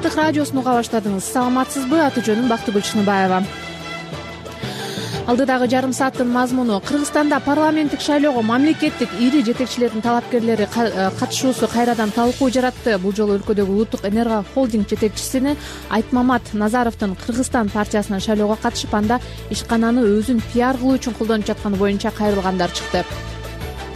Азаттык радиосун уга баштадыңыз. Саламатсызбы? Аты жөнүм Бактыгүл Чыныбаева. Алдыдагы жарым сааттын мазмуну: Кыргызстанда парламенттик шайлоого мамлекеттик ири жетекчилердин талапкерлери катышуусу кайрадан талкуу жаратты. Бул жолу өлкөдөгү улуттук энерго холдинг жетекчисини Айтмамат Назаровдун Кыргызстан партиясынан шайлоого катышып, анда ишкананы өзүн пиар кылуу үчүн колдонуп жатканы боюнча кайрылгандар чыкты.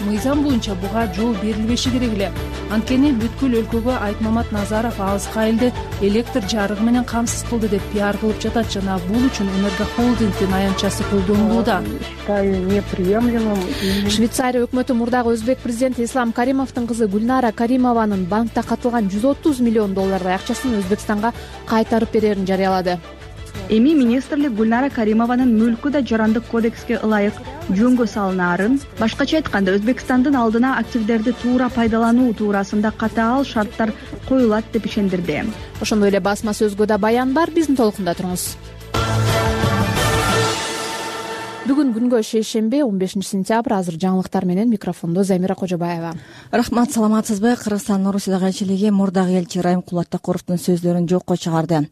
Мыйзам боюнча буга жол берилбеши керек эле. Анткени бүткүл өлкөгө Айтмамат Назаров алыска элди электр жарыгы менен камсыз кылды деп пиар кылып жатат жана бул үчүн энерго холдингдин аянтчасы колдонулууда. Считаю неприемлемым. Швейцария өкмөтү мурдагы өзбек президенти Ислам Каримовдун кызы Гүлнара Каримованын банкта катылган 130 миллион доллардай акчасын Өзбекстанга кайтарып берерин жарыялады. Эми министрлик Гүлнара Каримованын мүлкү да жарандык кодекске ылайык жөнгө салынаарын, башкача айтканда Өзбекстандын алдына активдерди туура пайдалануу туурасында катаал шарттар коюлат деп ишендирди. Ошондой эле басма сөзгө да баян бар, биздин толкунда туруңуз. Бүгүн күнгө шейшемби 15-сентябрь. Азыр жаңылыктар менен микрофондо Замира Кожобаева. Рахмат, саламатсызбы? Кыргызстан Орусиядагы элчилиги мурдагы элчи Райым Кулаттакуровдун сөздөрүн жокко чыгарды.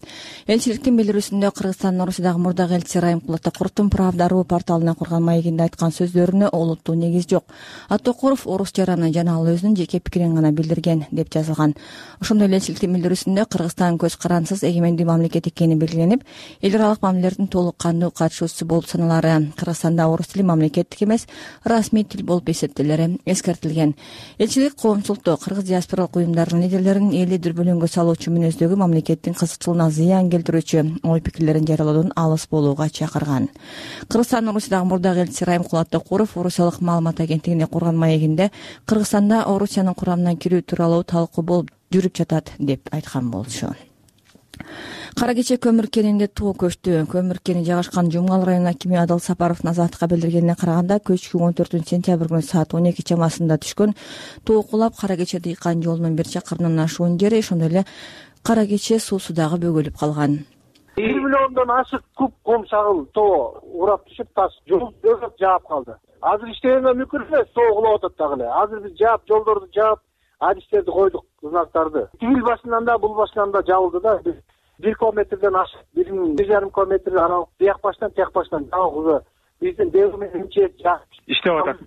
Элчиликтин билдирүүсүндө Кыргызстан Орусиядагы мурдагы элчи Райым Кулаттакуровдун Правда.ру порталына курган маегинде айткан сөздөрүнө олуттуу негиз жок. Аттокуров орус жараны жана ал өзүнүн жеке пикирин гана билдирген деп жазылган. Ошондой эле элчиликтин билдирүүсүндө Кыргызстан көз карансыз эгемендүү мамлекет экени белгиленип, эл аралык мамилелердин толук кандуу катышуучусу болуп саналары. Кыргызстанда орус тили мамлекеттик эмес, расмий тил болуп эсептелери эскертилген. Элчилик коомчулукту, кыргыз диаспоралык уюмдарынын лидерлерин элди дүрбөлөңгө салуучу мүнөздөгү мамлекеттин кызыкчылыгына зыян келтирүүчү ой пикирлерин жарыялоодон алыс болууга чакырган. Кыргызстан Орусиядагы мурдагы элчи Райым Кулаттакуров Орусиялык маалымат агенттигине курган маегинде Кыргызстанда Орусиянын курамына кирүү тууралуу талкуу болуп жүрүп жатат деп айткан болчу. Кара кече көмүр кенинде тоо көчтү. Көмүр кени жайгашкан Жумгал районунун акими Адыл Сапаровдун Азаттыкка билдиргенине караганда, көчкү 14-сентябрь күнү саат 12 чамасында түшкөн тоо кулап Кара кече дыйкан жолунун 1 чакырымынан ашуун жери, ошондой эле Кара кече суусу дагы бөгөлүп калган. 1 миллиондон ашык куб ком шагыл тоо урап түшүп, таш жол жаап калды. Азыр иштегенге мүмкүн эмес, тоо кулап атат дагы эле. Азыр биз жаап, жолдорду жаап, адистерди койдук, знактарды. Тигил башынан да, бул башынан да жабылды да. 1 километрден ашык, 1,5 километр аралык бияк баштан тияк баштан жабылды. Биздин devri менен иштеп атат.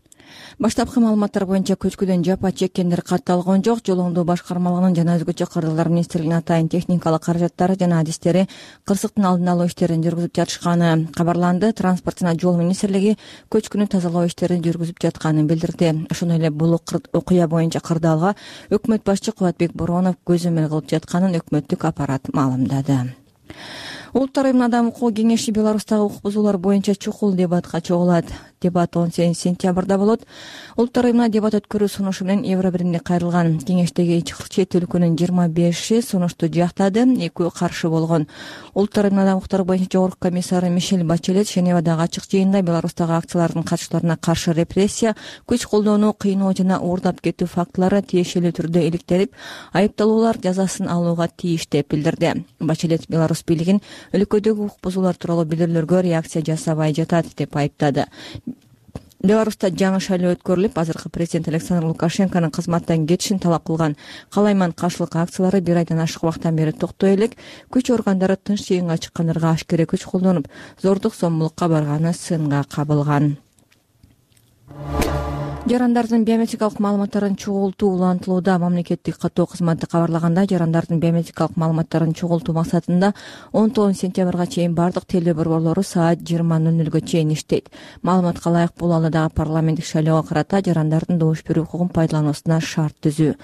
Баштапкы маалыматтар боюнча көчкүдөн жапа чеккендер катталган жок. Жол оңдоо башкармалыгынын жана өзгөчө кырдаалдар министрлигинин атайын техникалык каражаттары жана адистери кырсыктын алдын алуу иштерин жүргүзүп жатышканы кабарланды. Транспорт жана жол министрлиги көчкүнү тазалоо иштерин жүргүзүп жатканын билдирди. Ошондой эле бул окуя боюнча кырдаалга өкмөт башчы Кубатбек Боронов көзөмөл кылып жатканын өкмөттүк аппарат маалымдады. Улуттар уюмунун Адам укугу кеңеши Беларустагы укук бузуулар боюнча чукул дебатка чогулат. Дебат 18-сентябрда болот. Улуттар уюмуна дебат өткөрүү сунушу менен Евробиримге кайрылган. Кеңештеги 47 өлкөнүн 25 сунушту жактады, 2 каршы болгон. Улуттар уюмунун адам укуктары боюнча жогорку комиссары Мишель Бачелет Женевадагы ачык жыйында Беларустагы акциялардын катчыларына каршы репрессия, күч колдонуу, кыйноо жана уурдап кетүү фактылары тиешелүү түрдө иликтелип, айыпталуулар жазасын алууга тийиш деп билдирди. Бачелет Беларусь бийлигин өлкөдөгү укук бузуулар тууралуу билдирүүлөргө реакция жасабай жатат деп айыптады. Беларуста жаңы шайлоо өткөрүлүп, азыркы президент Александр Лукашенконун кызматтан кетишин талап кылган калайман каршылык акциялары 1 айдан ашык убакыттан бери токтой элек. Күч органдары тынч жыйынга чыккандарга ашкере күч колдонуп, зордук зомбулукка барганы сынга кабылган. Жарандардын биометрикалык маалыматтарын чогултуу улантылууда. Мамлекеттик каттоо кызматы кабарлаганда, жарандардын биометрикалык маалыматтарын чогултуу максатында 19-сентябрга чейин бардык теле борборлору саат 20:00 чейин иштейт. Маалыматка ылайык бул алдыдагы парламенттик шайлоого карата жарандардын добуш берүү укугун пайдалануусуна шарт түзүү.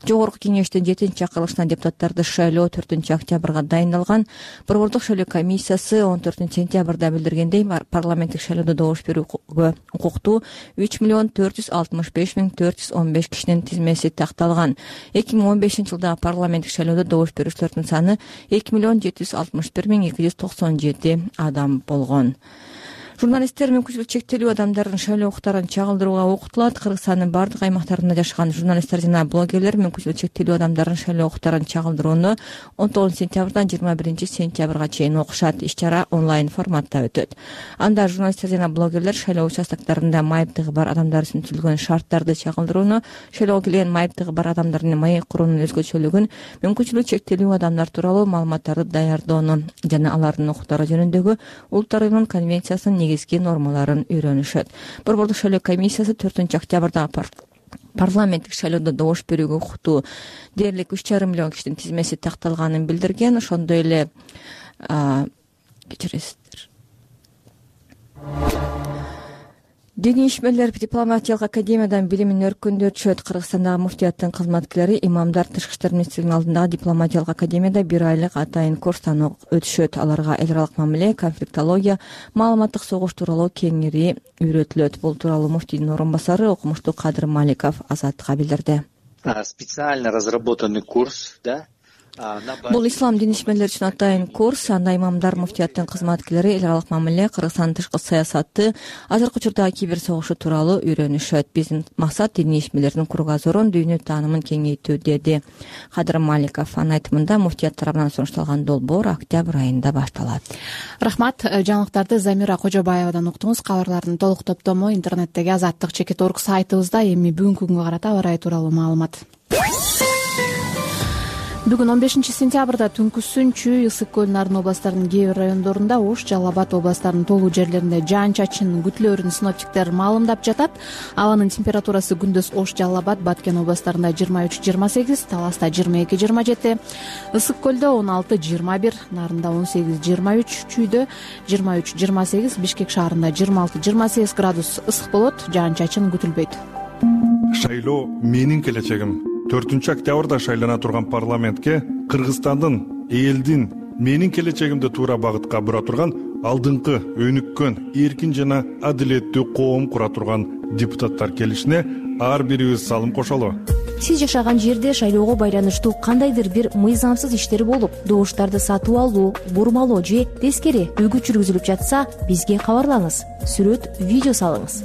Жогорку кеңештин 7-чакырылышына депутаттарды шайлоо 4-октябрга дайындалган. Борбордук шайлоо комиссиясы 14-сентябрда билдиргендей, парламенттик шайлоодо добуш берүүгө укуктуу 3,465,415 кишинин тизмеси такталган. 2015-жылдагы парламенттик шайлоодо добуш берүүчүлөрдүн саны 2,761,297 адам болгон. Журналисттер мүмкүнчүлүгү чектелүү адамдардын шайлоо укуктарын чагылдырууга окутулат. Кыргызстандын бардык аймактарында жашаган журналисттер жана блогерлер мүмкүнчүлүгү чектелүү адамдардын шайлоо укуктарын чагылдырууну 19 сентябрдан 21 сентябрга чейин окушат. Иш-чара онлайн форматта өтөт. Анда журналисттер жана блогерлер шайлоо участоктарында майыптыгы бар адамдар үчүн түзүлгөн шарттарды чагылдырууну, шайлоого келген майыптыгы бар адамдардын маек куруунун өзгөчөлүгүн, мүмкүнчүлүгү чектелүү адамдар тууралуу маалыматтарды даярдоону жана алардын укуктары жөнүндөгү Улуттар уюмунун конвенциясынын негизги нормаларын үйрөнүшөт. Борбордук шайлоо комиссиясы 4-октябрда парламенттик шайлоодо добуш берүүгө укуктуу дээрлик 3,5 миллион кишинин тизмеси такталганын билдирген. Ошондой эле кечиресиздер. Диний ишмерлер дипломатиялык академиядан билимин өркүндөтүшөт. Кыргызстандагы муфтияттын кызматкерлери, имамдар Тышкы иштер министрлигинин алдындагы дипломатиялык академияда 1 айлык атайын курстан өтүшөт. Аларга эл аралык мамиле, конфликтология, маалыматтык согуш тууралуу кеңири үйрөтүлөт. Бул тууралуу муфтийдин орун басары окумуштуу Кадыр Маликов Азатка билдирди. Специально разработанный курс, да? Бул ислам дин ишмерлери үчүн атайын курс. Анда имамдар, муфтияттын кызматкерлери, эл аралык мамиле, Кыргызстандын тышкы саясаты, азыркы учурдагы кибер согушу тууралуу үйрөнүшөт. Биздин максат диний ишмерлердин кругозорун, дүйнө таанымын кеңейтүү, деди Кадыр Маликов. Анын айтымында муфтият тарабынан сунушталган долбоор октябрь айында башталат. Рахмат. Жаңылыктарды Замира Кожобаевадан уктуңуз. Кабарлардын толук топтому интернеттеги Азаттык.org сайтыбызда. Эми бүгүнкү күнгө карата аба ырайы тууралуу маалымат. Бүгүн 15 сентябрда түнкүсүн Чүй, Ысык көл, Нарын областарынын кээ бир райондорунда, Ош, Жалал Абад областарынын толуу жерлеринде жаан-чачын күтүлөөрүн синоптиктер маалымдап жатат. Абанын температурасы күндүз Ош, Жалал Абад, Баткен областарында 23-28, Таласта 22-27, Ысык көлдө 16-21, Нарында 18-23, Чүйдө 23-28, Бишкек шаарында 26-28 градус ысык болот, жаан-чачын күтүлбөйт. Шайлоо менин келечегим. 4-октябрда шайлана турган парламентке Кыргызстандын, элдин менин келечегимди туура багытка бура турган алдыңкы өнүккөн, эркин жана адилеттүү коом кура турган депутаттар келишине ар бирибиз салым кошолу. Сиз жашаган жерде шайлоого байланыштуу кандайдыр бир мыйзамсыз иштер болуп, добуштарды сатып алуу, бурмалоо же тескери үгүт жүргүзүлүп жатса, бизге кабарлаңыз. Сүрөт, видео салыңыз.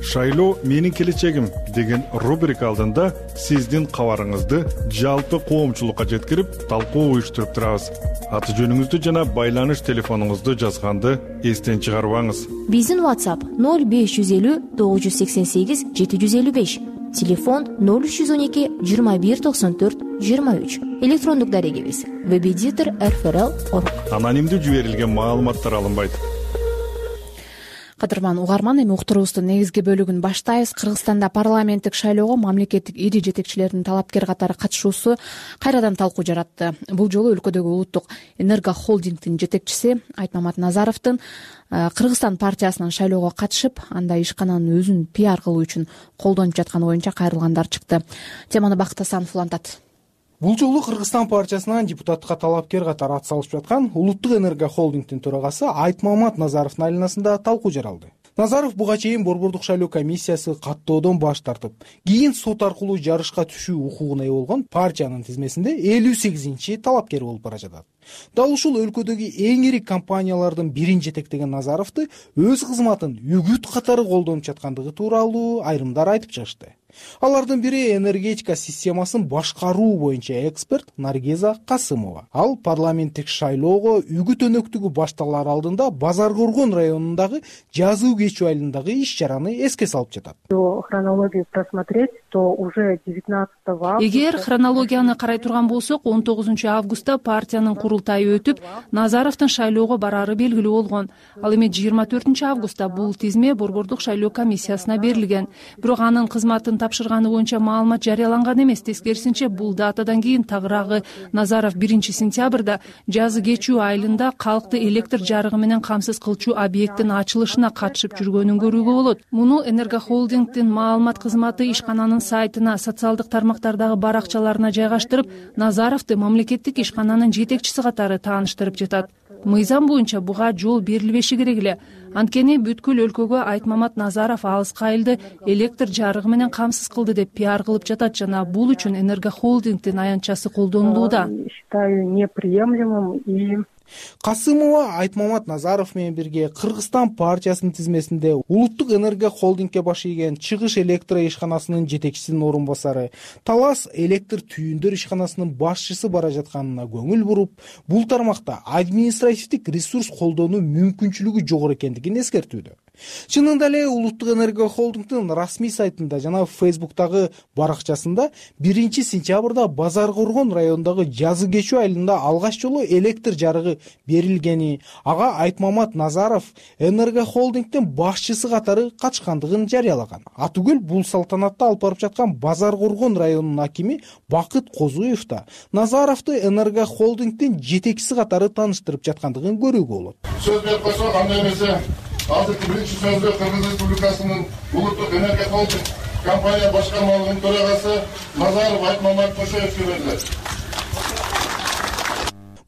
Шайлоо менин келечегим деген рубрика алдында сиздин кабарыңызды жалпы коомчулукка жеткирип, талкуу уюштуруп турабыз. Аты жөнүңүздү жана байланыш телефонуңузду жазганды эстен чыгарбаңыз. Биздин WhatsApp 0550 988 755, телефон 0312 21 94 23, электрондук дарегибиз webeditor@rfrl.org. Анонимдүү жиберилген маалыматтар алынбайт. Кадырман угарман, эми уктуруубуздун негизги бөлүгүн баштайбыз. Кыргызстанда парламенттик шайлоого мамлекеттик ири жетекчилердин талапкер катары катышуусу кайрадан талкуу жаратты. Бул жолу өлкөдөгү улуттук энергохолдингдин жетекчиси Айтмамат Назаровдун Кыргызстан партиясынан шайлоого катышып, анда ишкананын өзүн пиар кылуу үчүн колдонуп жатканы боюнча кайрылгандар чыкты. Теманы Бакыт Асанов улантат. Бул жолу Кыргызстан партиясынан депутатка талапкер катары ат салышып жаткан Улуттук энергохолдингдин төрагасы Айтмамат Назаровдун айланасында талкуу жаралды. Назаров буга чейин Борбордук шайлоо комиссиясы каттоодон баш тартып, кийин сот аркылуу жарышка түшүү укугуна ээ болгон партиянын тизмесинде 58-чи талапкер болуп бара жатат. Дал ушул өлкөдөгү эң ири компаниялардын бирин жетектеген Назаровду өз кызматын үгүт катары колдонуп жаткандыгы тууралуу айрымдар айтып чыгышты. Алардын бири энергетика системасын башкаруу боюнча эксперт Наргиза Касымова. Ал парламенттик шайлоого үгүт өнөктүгү башталар алдында Базар Коргон районундагы жазуу кечүү айылындагы иш-чараны эске салып жатат. Хронологию просмотреть, то уже 19 августа. Эгер хронологияны карай турган болсок, 19 августта партиянын курултайы өтүп, Назаровдун шайлоого барары белгилүү болгон. Ал эми 24 августта бул тизме Борбордук шайлоо комиссиясына берилген. Бирок анын кызматын тапшырганы боюнча маалымат жарыяланган эмес. Тескерисинче, бул датадан кийин тагыраагы Назаров 1 сентябрда жазы кечүү айылында калкты электр жарыгы менен камсыз кылчу объекттин ачылышына катышып жүргөнүн көрүүгө болот. Муну энергохолдингдин маалымат кызматы ишкананын сайтына, социалдык тармактардагы баракчаларына жайгаштырып, Назаровду мамлекеттик ишкананын жетекчиси катары тааныштырып жатат. Мыйзам боюнча буга жол берилбеши керек эле. Анткени бүткүл өлкөгө Айтмамат Назаров алыскы айылды электр жарыгы менен камсыз кылды деп пиар кылып жатат жана бул үчүн энергохолдингдин аянтчасы колдонулууда. Считаю неприемлемым и Касымова Айтмамат Назаров менен бирге Кыргызстан партиясынын тизмесинде Улуттук энергия холдингке баш ийген Чыгыш электро ишканасынын жетекчисинин орун басары, Талас электр түйүндөр ишканасынын башчысы бара жатканына көңүл буруп, бул тармакта административдик ресурс колдонуу мүмкүнчүлүгү жогору экендигин эскертүүдө. Чынында эле Улуттук энергия холдингдин расмий сайтында жана Фейсбуктагы баракчасында 1-сентябрда Базар Коргон районундагы Жазы Кечүү айылында алгач жолу электр жарыгы берилгени, ага Айтмамат Назаров энергия холдингдин башчысы катары катышкандыгын жарыялаган. Атүгүл бул салтанатты алып барып жаткан Базар Коргон районунун акими Бакыт Козуев да Назаровду энергия холдингдин жетекчиси катары тааныштырып жаткандыгын көрүүгө болот. Сөз берип койсо, андай эмесе азыркы биринчи сөздө Кыргыз Республикасынын Улуттук энергия холдинг компания башкармалыгынын төрагасы Назаров Айтмамат Кошоевке берилет.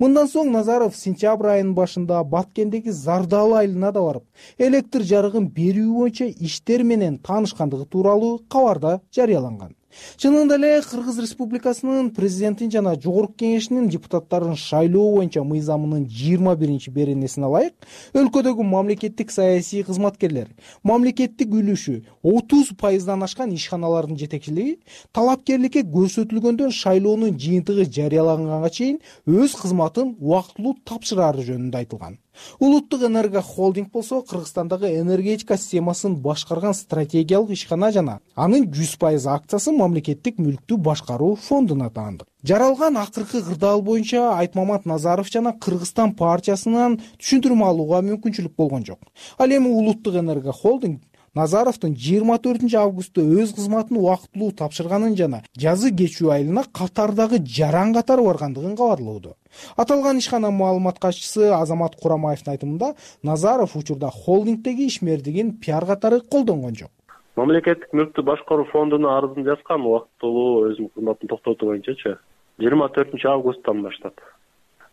Мындан соң Назаров сентябрь айынын башында Баткендеги Зардалы айылына да барып, электр жарыгын берүү боюнча иштер менен таанышкандыгы тууралуу кабарда жарыяланган. Чынында эле Кыргыз Республикасынын президентин жана жогорку кеңешинин депутаттарын шайлоо боюнча мыйзамынын 21-беренесине ылайык өлкөдөгү мамлекеттик саясий кызматкерлер мамлекеттик үлүшү 30% ашкан ишканалардын жетекчилиги талапкерликке көрсөтүлгөндөн шайлоонун жыйынтыгы жарыяланганга чейин өз кызматын убактылуу тапшырары жөнүндө айтылган. Улуттук энергия холдинг болсо Кыргызстандагы энергетика системасын башкарган стратегиялык ишкана жана анын 100% акциясы мамлекеттик мүлктү башкаруу фондуна таандык. Жаралган акыркы кырдаал боюнча Айтмамат Назаров жана Кыргызстан партиясынан түшүндүрмө алууга мүмкүнчүлүк болгон жок. Ал эми Улуттук энергия холдинг Назаровдун 24 августта өз кызматын убактылуу тапшырганын жана Жазы Кечүү айылына катардагы жаран катары баргандыгын кабарлоодо. Аталган ишкананын маалымат катчысы Азамат Курамаевдин айтымында Назаров учурда холдингдеги ишмердигин пиар катары колдонгон жок. Мамлекеттик мүлктү башкаруу фондуна арызын жазган убактылуу өзүнүн кызматын токтотуу боюнчачы 24 августтан баштап.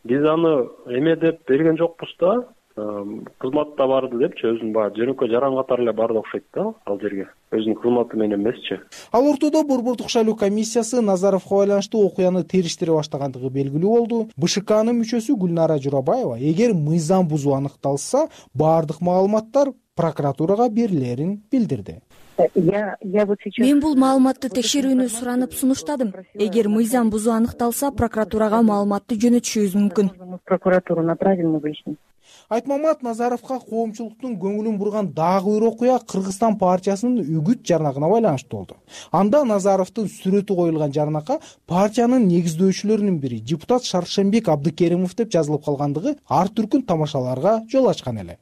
Биз аны эме деп берген жокпуз да, кызматта барды депчи, өзүнүн баягы жөнөкөй жаран катары эле барды окшойт да ал жерге. Өзүнүн кызматы менен эмесчи. Ал ортодо Борбордук шайлоо комиссиясы Назаровго байланыштуу окуяны териштире баштагандыгы белгилүү болду. БШКнын мүчөсү Гүлнара Журабаева эгер мыйзам бузуу аныкталса, баардык маалыматтар прокуратурага берилерин билдирди. Мен бул маалыматты текшерүүнү суранып сунуштадым. Эгер мыйзам бузуу аныкталса, прокуратурага маалыматты жөнөтүшүбүз мүмкүн. Прокуратуру направим на выяснение. Айтмамат Назаровго коомчулуктун көңүлүн бурган дагы бир окуя Кыргызстан партиясынын үгүт жарнагына байланыштуу болду. Анда Назаровдун сүрөтү коюлган жарнакка партиянын негиздөөчүлөрүнүн бири депутат Шаршембек Абдыкеримов деп жазылып калгандыгы ар түркүн тамашаларга жол ачкан эле.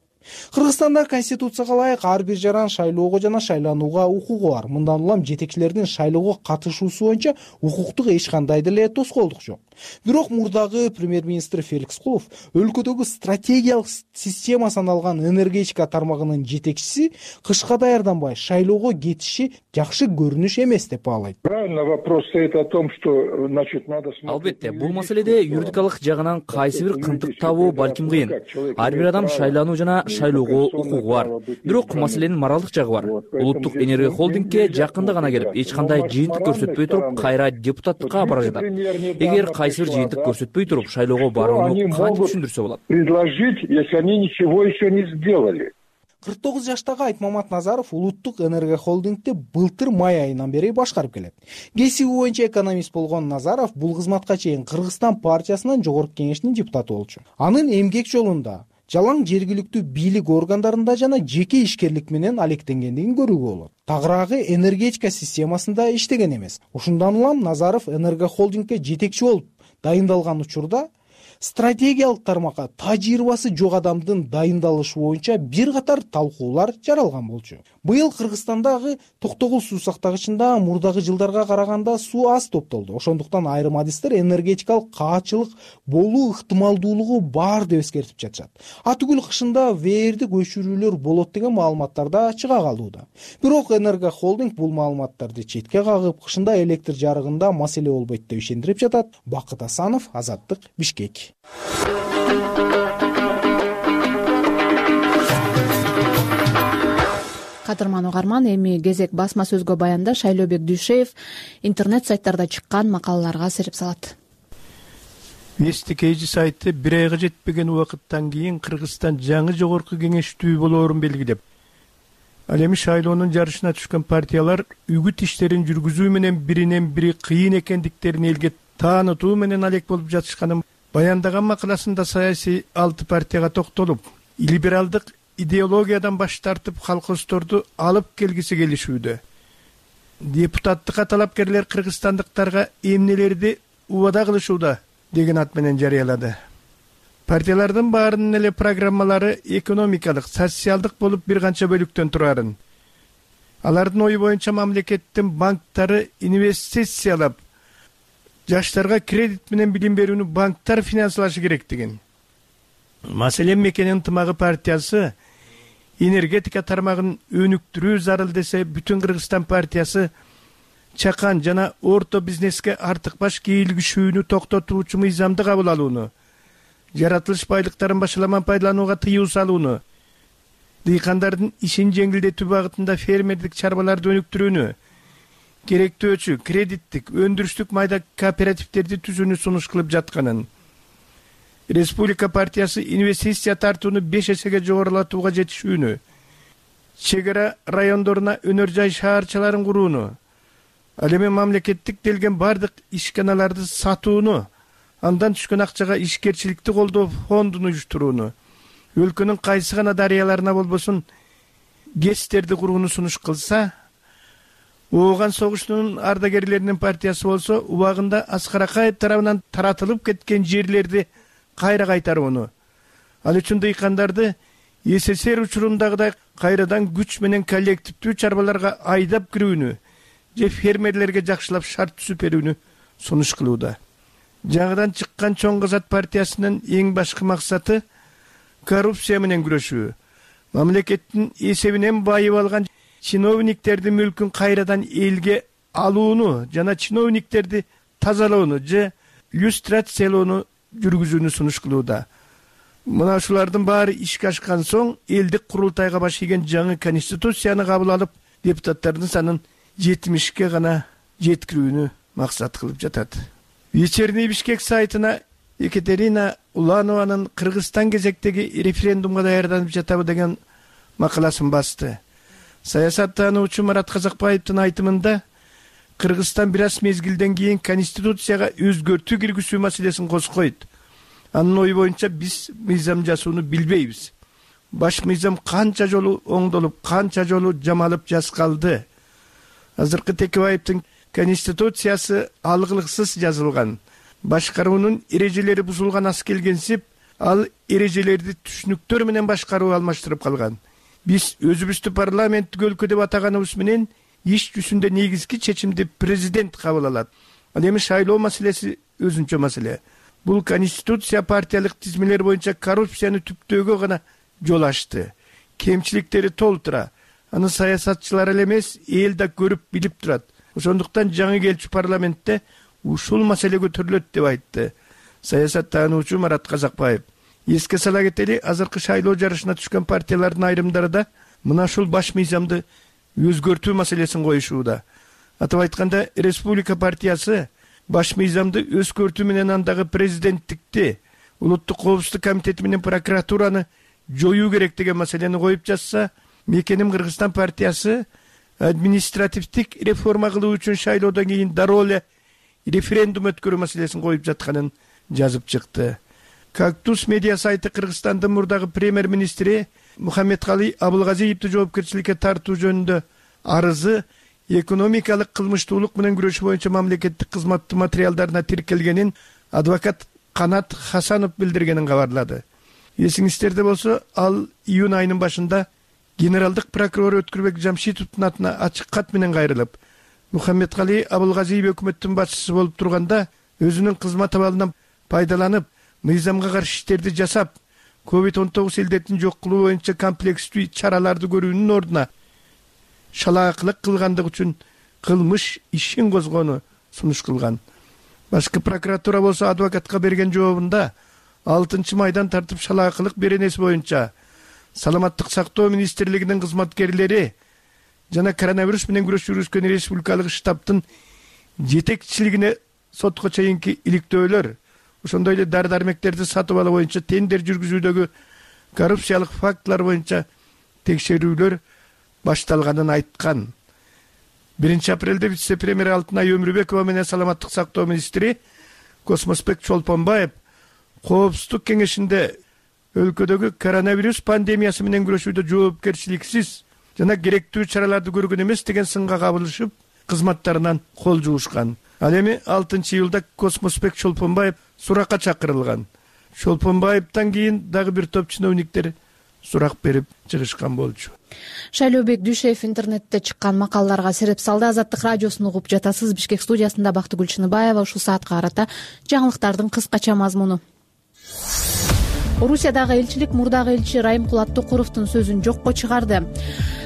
Кыргызстанда конституцияга ылайык ар бир жаран шайлоого жана шайланууга укугу бар. Мындан улам жетекчилердин шайлоого катышуусу боюнча укуктук эч кандай деле тоскоолдук жок. Бирок мурдагы премьер-министр Феликс Кулов өлкөдөгү стратегиялык система саналган энергетика тармагынын жетекчиси кышка даярданбай шайлоого кетиши жакшы көрүнүш эмес деп баалайт. Правильно, вопрос стоит о том, что надо смотреть. Албетте, бул маселеде юридикалык жагынан кайсы бир кынтык табуу балким кыйын. Ар бир адам шайлануу жана шайлоого укугу бар. Бирок маселенин моралдык жагы бар. Улуттук энергия холдингке жакында гана келип, эч кандай жыйынтык көрсөтпөй туруп, кайра депутаттыкка бара жатат. Эгер кайсы бир жыйынтык көрсөтпөй туруп, шайлоого барууну кантип түшүндүрсө болот? Предложить, если они ничего еще не сделали. 49 жаштагы Айтмамат Назаров Улуттук энергия холдингди былтыр май айынан бери башкарып келет. Кесиби боюнча экономист болгон Назаров бул кызматка чейин Кыргызстан партиясынын жогорку кеңешинин депутаты болчу. Анын эмгек жолунда жалаң жергиликтүү бийлик органдарында жана жеке ишкерлик менен алектенгендигин көрүүгө болот. Тагыраагы энергетика системасында иштеген эмес. Ушундан улам Назаров энергия холдингке жетекчи болуп дайындалган учурда стратегиялык тармакка тажрыйбасы жок адамдын дайындалышы боюнча бир катар талкуулар жаралган болчу. Быйыл Кыргызстандагы Токтогул суу сактагычында мурдагы жылдарга караганда суу аз топтолду. Ошондуктан айрым адистер энергетикалык каачылык болуу ыктымалдуулугу бар деп эскертип жатышат. Атүгүл кышында вээрдик өчүрүүлөр болот деген маалыматтар да чыга калууда. Бирок энергия холдинг бул маалыматтарды четке кагып, кышында электр жарыгында маселе болбойт деп ишендирип жатат. Бакыт Асанов, Азаттык, Бишкек. Кадырман угарман, эми кезек басма сөзгө баянда Шайлообек Дүйшеев интернет сайттарда чыккан макалаларга сереп салат. Вестикейжи сайты 1 айга жетпеген убакыттан кийин Кыргызстан жаңы жогорку кеңештүү болоорун белгилеп, ал эми шайлоонун жарышына түшкөн партиялар үгүт иштерин жүргүзүү менен биринен бири кыйын экендиктерин элге таанытуу менен алек болуп жатышканын баяндаган макаласында саясий 6 партияга токтолуп, либералдык идеологиядан баш тартып колхоздорду алып келгиси келишүүдө. Депутаттыкка талапкерлер кыргызстандыктарга эмнелерди убада кылышууда деген ат менен жарыялады. Партиялардын баарынын эле программалары экономикалык, социалдык болуп бир канча бөлүктөн турарын. Алардын ою боюнча мамлекеттин банктары инвестициялап, жаштарга кредит менен билим берүүнү банктар финансылашы керектигин. Маселен, Мекенин ынтымагы партиясы энергетика тармагын өнүктүрүү зарыл десе, Бүтүн Кыргызстан партиясы чакан жана орто бизнеске артык баш кийлигишүүнү токтотуучу мыйзамды кабыл алууну, жаратылыш байлыктарын башаламан пайдаланууга тыюу салууну, дыйкандардын ишин жеңилдетүү багытында фермердик чарбаларды өнүктүрүүнү, керектөөчү кредиттик, өндүрүштүк майда кооперативдерди түзүүнү сунуш кылып жатканын, Республика партиясы инвестиция тартууну 5 эсеге жогорулатууга жетишүүнү, чегара райондоруна өнөр жай шаарчаларын курууну, ал эми мамлекеттик делген бардык ишканаларды сатууну, андан түшкөн акчага ишкерчиликти колдоо фондун уюштурууну, өлкөнүн кайсы гана дарыяларына болбосун ГЭСтерди курууну сунуш кылса, Ооган согушунун ардагерлеринин партиясы болсо, убагында Аскар Акаев тарабынан таратылып кеткен жерлерди кайра кайтарууну, ал үчүн дыйкандарды СССР учурундагыдай кайрадан күч менен коллективдүү чарбаларга айдап кирүүнү же фермерлерге жакшылап шарт түзүп берүүнү сунуш кылууда. Жаңыдан чыккан Чоң Казат партиясынын эң башкы максаты коррупция менен күрөшүү. Мамлекеттин эсебинен байып алган чиновниктердин мүлкүн кайрадан элге алууну жана чиновниктерди тазалоону же люстрациялоону жүргүзүүнү сунуш кылууда. Мына ушулардын баары ишке ашкан соң элдик курултайга баш ийген жаңы конституцияны кабыл алып, депутаттардын санын 70ке гана жеткирүүнү максат кылып жатат. Вечерний Бишкек сайтына Екатерина Уланованын Кыргызстан кезектеги референдумга даярданып жатабы деген макаласын басты. Саясаттануучу Марат Казакбаевдин айтымында Кыргызстан бир аз мезгилден кийин конституцияга өзгөртүү киргизүү маселесин козгойт. Анын ою боюнча биз мыйзам жасууну билбейбиз. Баш мыйзам канча жолу оңдолуп, канча жолу жамалып жазгалды. Азыркы Текебаевдин конституциясы алгылыксыз жазылган. Башкаруунун эрежелери бузулган аз келгенсип, ал эрежелерди түшүнүктөр менен башкаруу алмаштырып калган. Биз өзүбүздү парламенттик өлкө деп атаганыбыз менен иш жүзүндө негизги чечимди президент кабыл алат. Ал эми шайлоо маселеси өзүнчө маселе. Бул конституция партиялык тизмелер боюнча коррупцияны түптөөгө гана жол ачты. Кемчиликтери толтура. Аны саясатчылар эле эмес, эл да көрүп билип турат. Ошондуктан жаңы келчү парламентте ушул маселе көтөрүлөт деп айтты саясаттануучу Марат Казакбаев. Эске сала кетели, азыркы шайлоо жарышына түшкөн партиялардын айрымдары да мына ушул баш мыйзамды өзгөртүү маселесин коюшууда. Атап айтканда, Республика партиясы баш мыйзамды өзгөртүү менен андагы президенттикти, улуттук коопсуздук комитети менен прокуратураны жоюу керек деген маселени коюп жатса, Мекеним Кыргызстан партиясы административдик реформа кылуу үчүн шайлоодон кийин дароо эле референдум өткөрүү маселесин коюп жатканын жазып чыкты. Кактус медиа сайты Кыргызстандын мурдагы премьер-министри Мухаммедкалый Абылгазиевди жоопкерчиликке тартуу жөнүндө арызы экономикалык кылмыштуулук менен күрөшүү боюнча мамлекеттик кызматтын материалдарына тиркелгенин адвокат Канат Хасанов билдиргенин кабарлады. Эсиңизде болсо, ал июнь айынын башында генералдык прокурор Өткүрбек Жамшитовдун атына ачык кат менен кайрылып, Мухаммедкалый Абылгазиев өкмөттүн башчысы болуп турганда өзүнүн кызмат абалынан пайдаланып, мыйзамга каршы иштерди жасап, COVID-19 илдетин жок кылуу боюнча комплекстүү чараларды көрүүнүн ордуна шалаакылык кылгандык үчүн кылмыш ишин козгоону сунуш кылган. Башкы прокуратура болсо адвокатка берген жообунда 6 майдан тартып шалаакылык беренеси боюнча Саламаттык сактоо министрлигинин кызматкерлери жана коронавирус менен күрөш жүргүзгөн республикалык штабтын жетекчилигине сотко чейинки иликтөөлөр, ошондой эле дары дармектерди сатып алуу боюнча тендер жүргүзүүдөгү коррупциялык фактылар боюнча текшерүүлөр башталганын айткан. 1 апрелде вице-премьер Алтынай Өмүрбекова менен саламаттык сактоо министри Космосбек Чолпонбаев Коопсуздук кеңешинде өлкөдөгү коронавирус пандемиясы менен күрөшүүдө жоопкерчиликсиз жана керектүү чараларды көргөн эмес деген сынга кабылышып, кызматтарынан кол жуушкан. Ал эми 6-июлда Космосбек Чолпонбаев суракка чакырылган. Чолпонбаевтан кийин дагы бир топ чиновниктер сурак берип чыгышкан болчу. Шайлообек Дүйшеев интернетте чыккан макалаларга сереп салды. Азаттык радиосун угуп жатасыз. Бишкек студиясында Бактыгүл Чыныбаева. Ушул саатка карата жаңылыктардын кыскача мазмуну. Орусиядагы элчилик мурдагы элчи Райымкул Аттокуровдун сөзүн жокко чыгарды.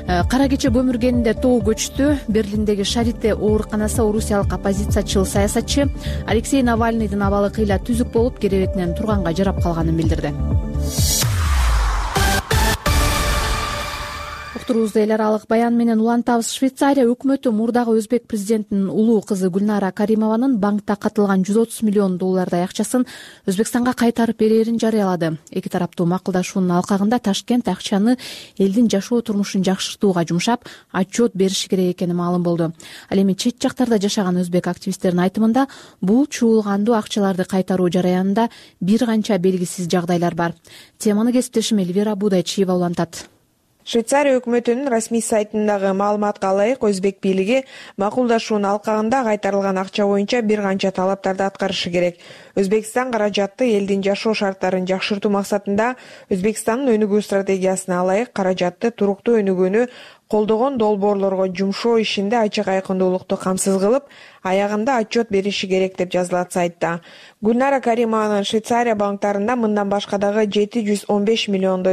Кара кече көмүргенинде тоо көчтү. Берлиндеги Шарите ооруканасы орусиялык оппозициячыл саясатчы Алексей Навальныйдын абалы кыйла түзүк болуп, керебетинен турганга жарап калганын билдирди. Уктурубузду эл аралык баян менен улантабыз. Швейцария өкмөтү мурдагы өзбек президентинин улуу кызы Гүлнара Каримованын банкта катылган $130 миллион акчасын Өзбекстанга кайтарып берерин жарыялады. Эки тараптуу макулдашуунун алкагында Ташкент акчаны элдин жашоо турмушун жакшыртууга жумшап, отчет бериши керек экени маалым болду. Ал эми чет жактарда жашаган өзбек активисттердин айтымында бул чуулгандуу акчаларды кайтаруу жараянында бир канча белгисиз жагдайлар бар. Теманы кесиптешим Эльвира Будайчиева улантат. Швейцария өкмөтүнүн расмий сайтындагы маалыматка ылайык, өзбек бийлиги макулдашуунун алкагында кайтарылган акча боюнча бир канча талаптарды аткарышы керек. Өзбекстан каражатты элдин жашоо шарттарын жакшыртуу максатында Өзбекстандын өнүгүү стратегиясына ылайык каражатты туруктуу өнүгүүнү колдогон долбоорлорго жумшоо ишинде ачык айкындуулукту камсыз кылып, аягында отчет бериши керек деп жазылат сайтта. Гүлнара Каримованын Швейцария банктарында мындан башка дагы $715 миллион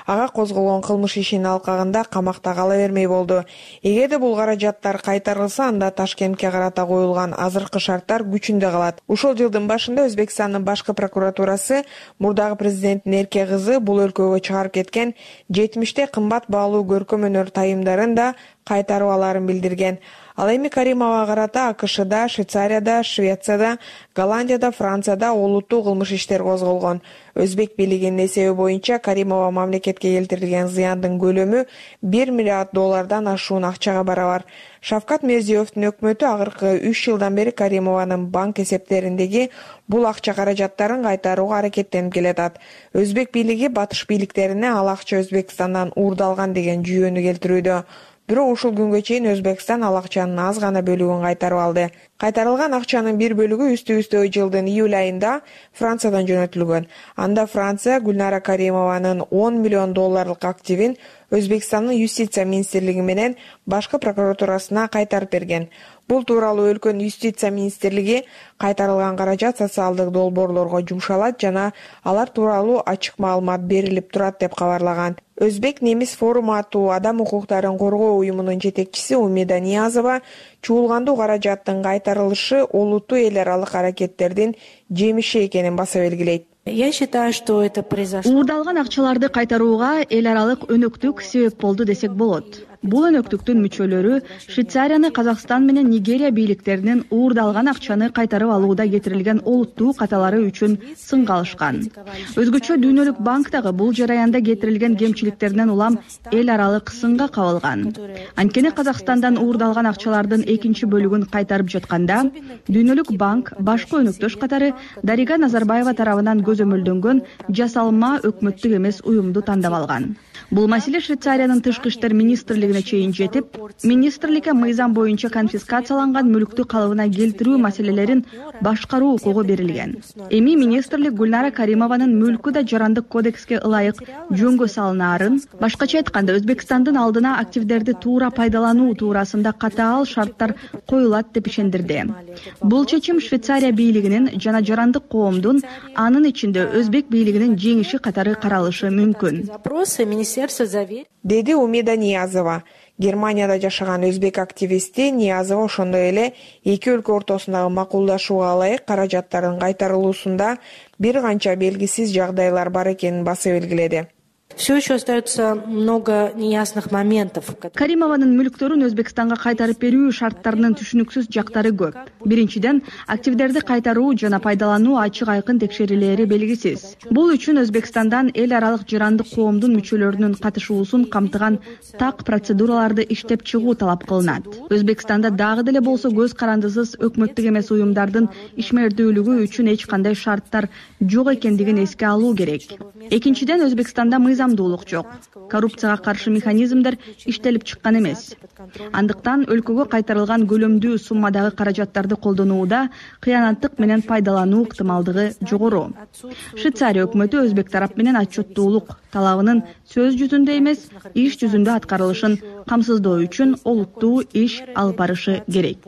ага козголгон кылмыш ишинин алкагында камакта кала бермей болду. Эгерде бул каражаттар кайтарылса, анда Ташкентке карата коюлган азыркы шарттар күчүндө калат. Ушул жылдын башында Өзбекстандын башкы прокуратурасы мурдагы президенттин эрке кызы бул өлкөгө чыгарып кеткен 70 кымбат баалуу көркөм өнөр тайымдарын да кайтарып аларын билдирген. Ал эми Каримовага карата АКШда, Швейцарияда, Швецияда, Голландияда, Францияда олуттуу кылмыш иштер козголгон. Өзбек бийлигинин эсеби боюнча Каримова мамлекетке келтирилген зыяндын көлөмү $1 миллиард ашуун акчага барабар. Шавкат Мирзиёевдин өкмөтү акыркы 3 жылдан бери Каримованын банк эсептериндеги бул акча каражаттарын кайтарууга аракеттенип келатат. Өзбек бийлиги батыш бийликтерине ал акча Өзбекстандан уурдалган деген жүйөнү келтирүүдө. Бирок ушул күнгө чейин Өзбекстан ал акчанын аз гана бөлүгүн кайтарып алды. Кайтарылган акчанын бир бөлүгү үстү-үстө жылдын июль айында Франциядан жөнөтүлгөн. Анда Франция Гүлнара Каримованын $10 миллион активин Өзбекстандын юстиция министрлиги менен башкы прокуратурасына кайтарып берген. Бул тууралуу өлкөнүн юстиция министрлиги кайтарылган каражат социалдык долбоорлорго жумшалат жана алар тууралуу ачык маалымат берилип турат деп кабарлаган. Өзбек немис форуму аттуу адам укуктарын коргоо уюмунун жетекчиси Умида Ниязова чуулгандуу каражаттын кайтарылышы олуттуу эл аралык аракеттердин жемиши экенин баса белгилейт. Я считаю, что это произошло. Уурдалган акчаларды кайтарууга эл аралык өнөктүк себеп болду десек болот. Бул өнөктүктүн мүчөлөрү Швейцарияны, Казакстан менен Нигерия бийликтеринин уурдалган акчаны кайтарып алууда кетирилген олуттуу каталары үчүн сынга алышкан. Өзгөчө Дүйнөлүк банк дагы бул жараянда кетирилген кемчиликтеринен улам эл аралык сынга кабылган. Анткени Казакстандан уурдалган акчалардын экинчи бөлүгүн кайтарып жатканда, Дүйнөлүк банк башкы өнөктөш катары Дарига Назарбаева тарабынан көзөмөлдөнгөн жасалма өкмөттүк эмес уюмду тандап алган. Бул маселе Швейцариянын тышкы иштер министрлигине чейин жетип, министрликке мыйзам боюнча конфискацияланган мүлктү калыбына келтирүү маселелерин башкаруу укугу берилген. Эми министрлик Гүлнара Каримованын мүлкү да жарандык кодекске ылайык жөнгө салынаарын, башкача айтканда Өзбекстандын алдына активдерди туура пайдалануу туурасында катаал шарттар коюлат деп ишендирди. Бул чечим Швейцария бийлигинин жана жарандык коомдун, анын ичинде Өзбек бийлигинин жеңиши катары каралышы мүмкүн, деди Умида Ниязова. Германияда жашаган өзбек активисти Ниязова ошондой эле эки өлкө ортосундагы макулдашууга ылайык каражаттардын кайтарылуусунда бир канча белгисиз жагдайлар бар экенин баса белгиледи. все еще остается много неясных моментов. Каримованын мүлктөрүн Өзбекстанга кайтарып берүү шарттарынын түшүнүксүз жактары көп. Биринчиден, активдерди кайтаруу жана пайдалануу ачык айкын текшерилери белгисиз. Бул үчүн Өзбекстандан эл аралык жарандык коомдун мүчөлөрүнүн катышуусун камтыган так процедураларды иштеп чыгуу талап кылынат. Өзбекстанда дагы деле болсо көз карандысыз өкмөттүк эмес уюмдардын ишмердүүлүгү үчүн эч кандай шарттар жок экендигин эске алуу керек. Экинчиден, Өзбекстанда мыйзамдуулук жок. Коррупцияга каршы механизмдер иштелип чыккан эмес. Андыктан өлкөгө кайтарылган көлөмдүү суммадагы каражаттарды колдонууда кыянаттык менен пайдалануу ыктымалдыгы жогору. Швейцария өкмөтү өзбек тарап менен отчеттуулук талабынын сөз жүзүндө эмес, иш жүзүндө аткарылышын камсыздоо үчүн олуттуу иш алып барышы керек.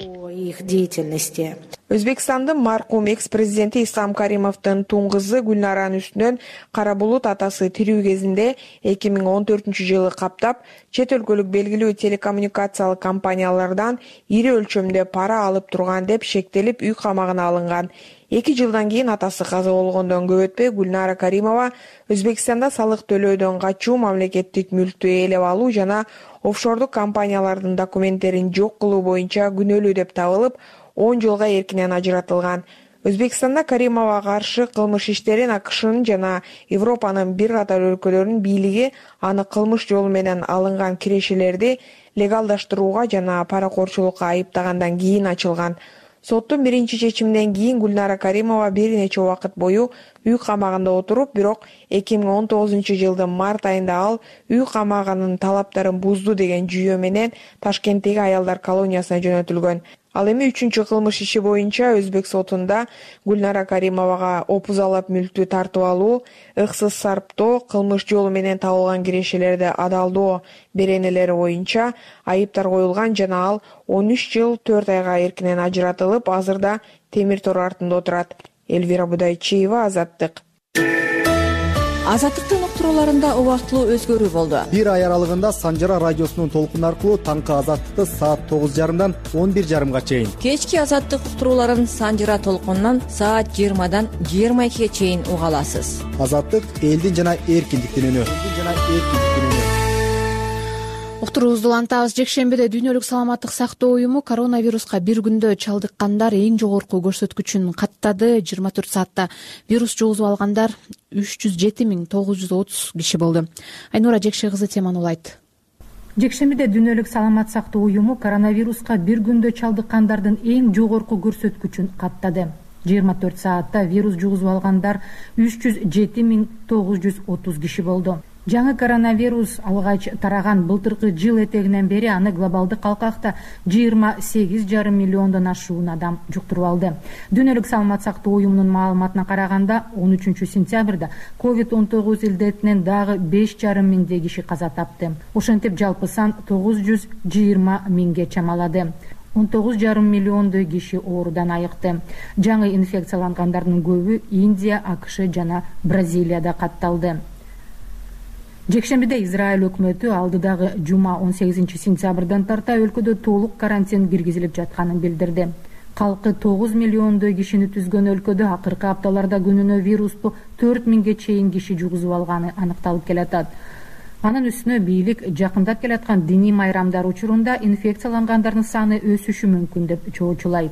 Өзбекстандын маркум экс-президенти Ислам Каримовдун тун кызы Гүлнаранын үстүнөн кара булут атасы тирүү кезинде 2014-жылы каптап, чет өлкөлүк белгилүү телекоммуникациялык компаниялардан ири өлчөмдө пара алып турган деп шектелип үй камагына алынган. 2 жылдан кийин атасы каза болгондон көп өтпөй Гүлнара Каримова Өзбекстанда салык төлөөдөн качуу, мамлекеттик мүлктү ээлеп алуу жана офшордук компаниялардын документтерин жок кылуу боюнча күнөөлүү деп табылып, 10 жылга эркинен ажыратылган. Өзбекстанда Каримовага каршы кылмыш иштерин АКШнын жана Европанын бир катар өлкөлөрүнүн бийлиги аны кылмыш жолу менен алынган кирешелерди легалдаштырууга жана паракорчулукка айыптагандан кийин ачылган. Соттун биринчи чечиминен кийин Гүлнара Каримова бир нече убакыт бою үй камагында отуруп, бирок 2019-жылдын март айында ал үй камагынын талаптарын бузду деген жүйө менен Ташкенттеги аялдар колониясына жөнөтүлгөн. Ал эми 3-чү кылмыш иши боюнча Өзбек сотунда Гүлнара Каримовага опузалап мүлктү тартып алуу, ыксыз сарптоо, кылмыш жолу менен табылган кирешелерди адалдоо беренелери боюнча айыптар коюлган жана ал 13 жыл 4 айга эркинен ажыратылып, азырда темир тор артында отурат. Элвира Будайчиева, Азаттык. Азаттыктын уктурууларында убактылуу өзгөрүү болду. Бир ай аралыгында Санжара радиосунун толкуну аркылуу таңкы Азаттыкты саат 9:30-дан 11:30 чейин. Кечки Азаттык уктурууларын Санжара толкунунан саат 20-дан 22-ге чейин уга аласыз. Азаттык элдин жана эркиндиктин үнү. Уктуруубузду улантабыз. Жекшембиде Дүйнөлүк саламаттык сактоо уюму коронавируска бир күндө чалдыккандар эң жогорку көрсөткүчүн каттады. 24 саатта вирус жугузуп алгандар 307.930 киши болду. Айнура Жекше кызы теманы улайт. Жекшембиде Дүйнөлүк саламат сактоо уюму коронавируска бир күндө чалдыккандардын эң жогорку көрсөткүчүн каттады. 24 саатта вирус жугузуп алгандар 307.930 киши болду. Жаңы коронавирус алгач тараган былтыркы жыл этегинен бери аны глобалдык калкакта 28,5 миллиондон ашуун адам жуктуруп алды. Дүйнөлүк саламат сактоо уюмунун маалыматына караганда 13 сентябрда COVID-19 илдетинен дагы 5,5 миңдей киши каза тапты. Ошентип жалпы сан 920 миңге чамалады. 19,5 миллиондой киши оорудан айыкты. Жаңы инфекциялангандардын көбү Индия, АКШ жана Бразилияда катталды. Жекшембиде Израиль өкмөтү алдыдагы жума 18 сентябрдан тарта өлкөдө толук карантин киргизилип жатканын билдирди. Калкы 9 миллиондой кишини түзгөн өлкөдө акыркы апталарда күнүнө вирусту 4 миңге чейин киши жугузуп алганы аныкталып келатат. Анын үстүнө бийлик жакындап келаткан диний майрамдар учурунда инфекциялангандардын саны өсүшү мүмкүн деп чоочулайт.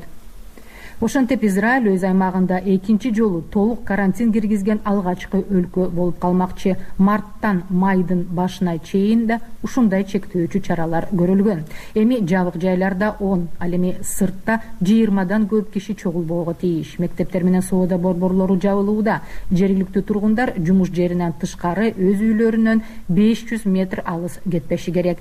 Ошентип Израиль өз аймагында экинчи жолу толук карантин киргизген алгачкы өлкө болуп калмакчы. Марттан майдын башына чейин да ушундай чектөөчү чаралар көрүлгөн. Эми жабык жайларда 10, ал эми сыртта 20дан көп киши чогулбоого тийиш. Мектептер менен соода борборлору жабылууда. Жергиликтүү тургундар жумуш жеринен тышкары өз үйлөрүнөн 500 метр алыс кетпеши керек.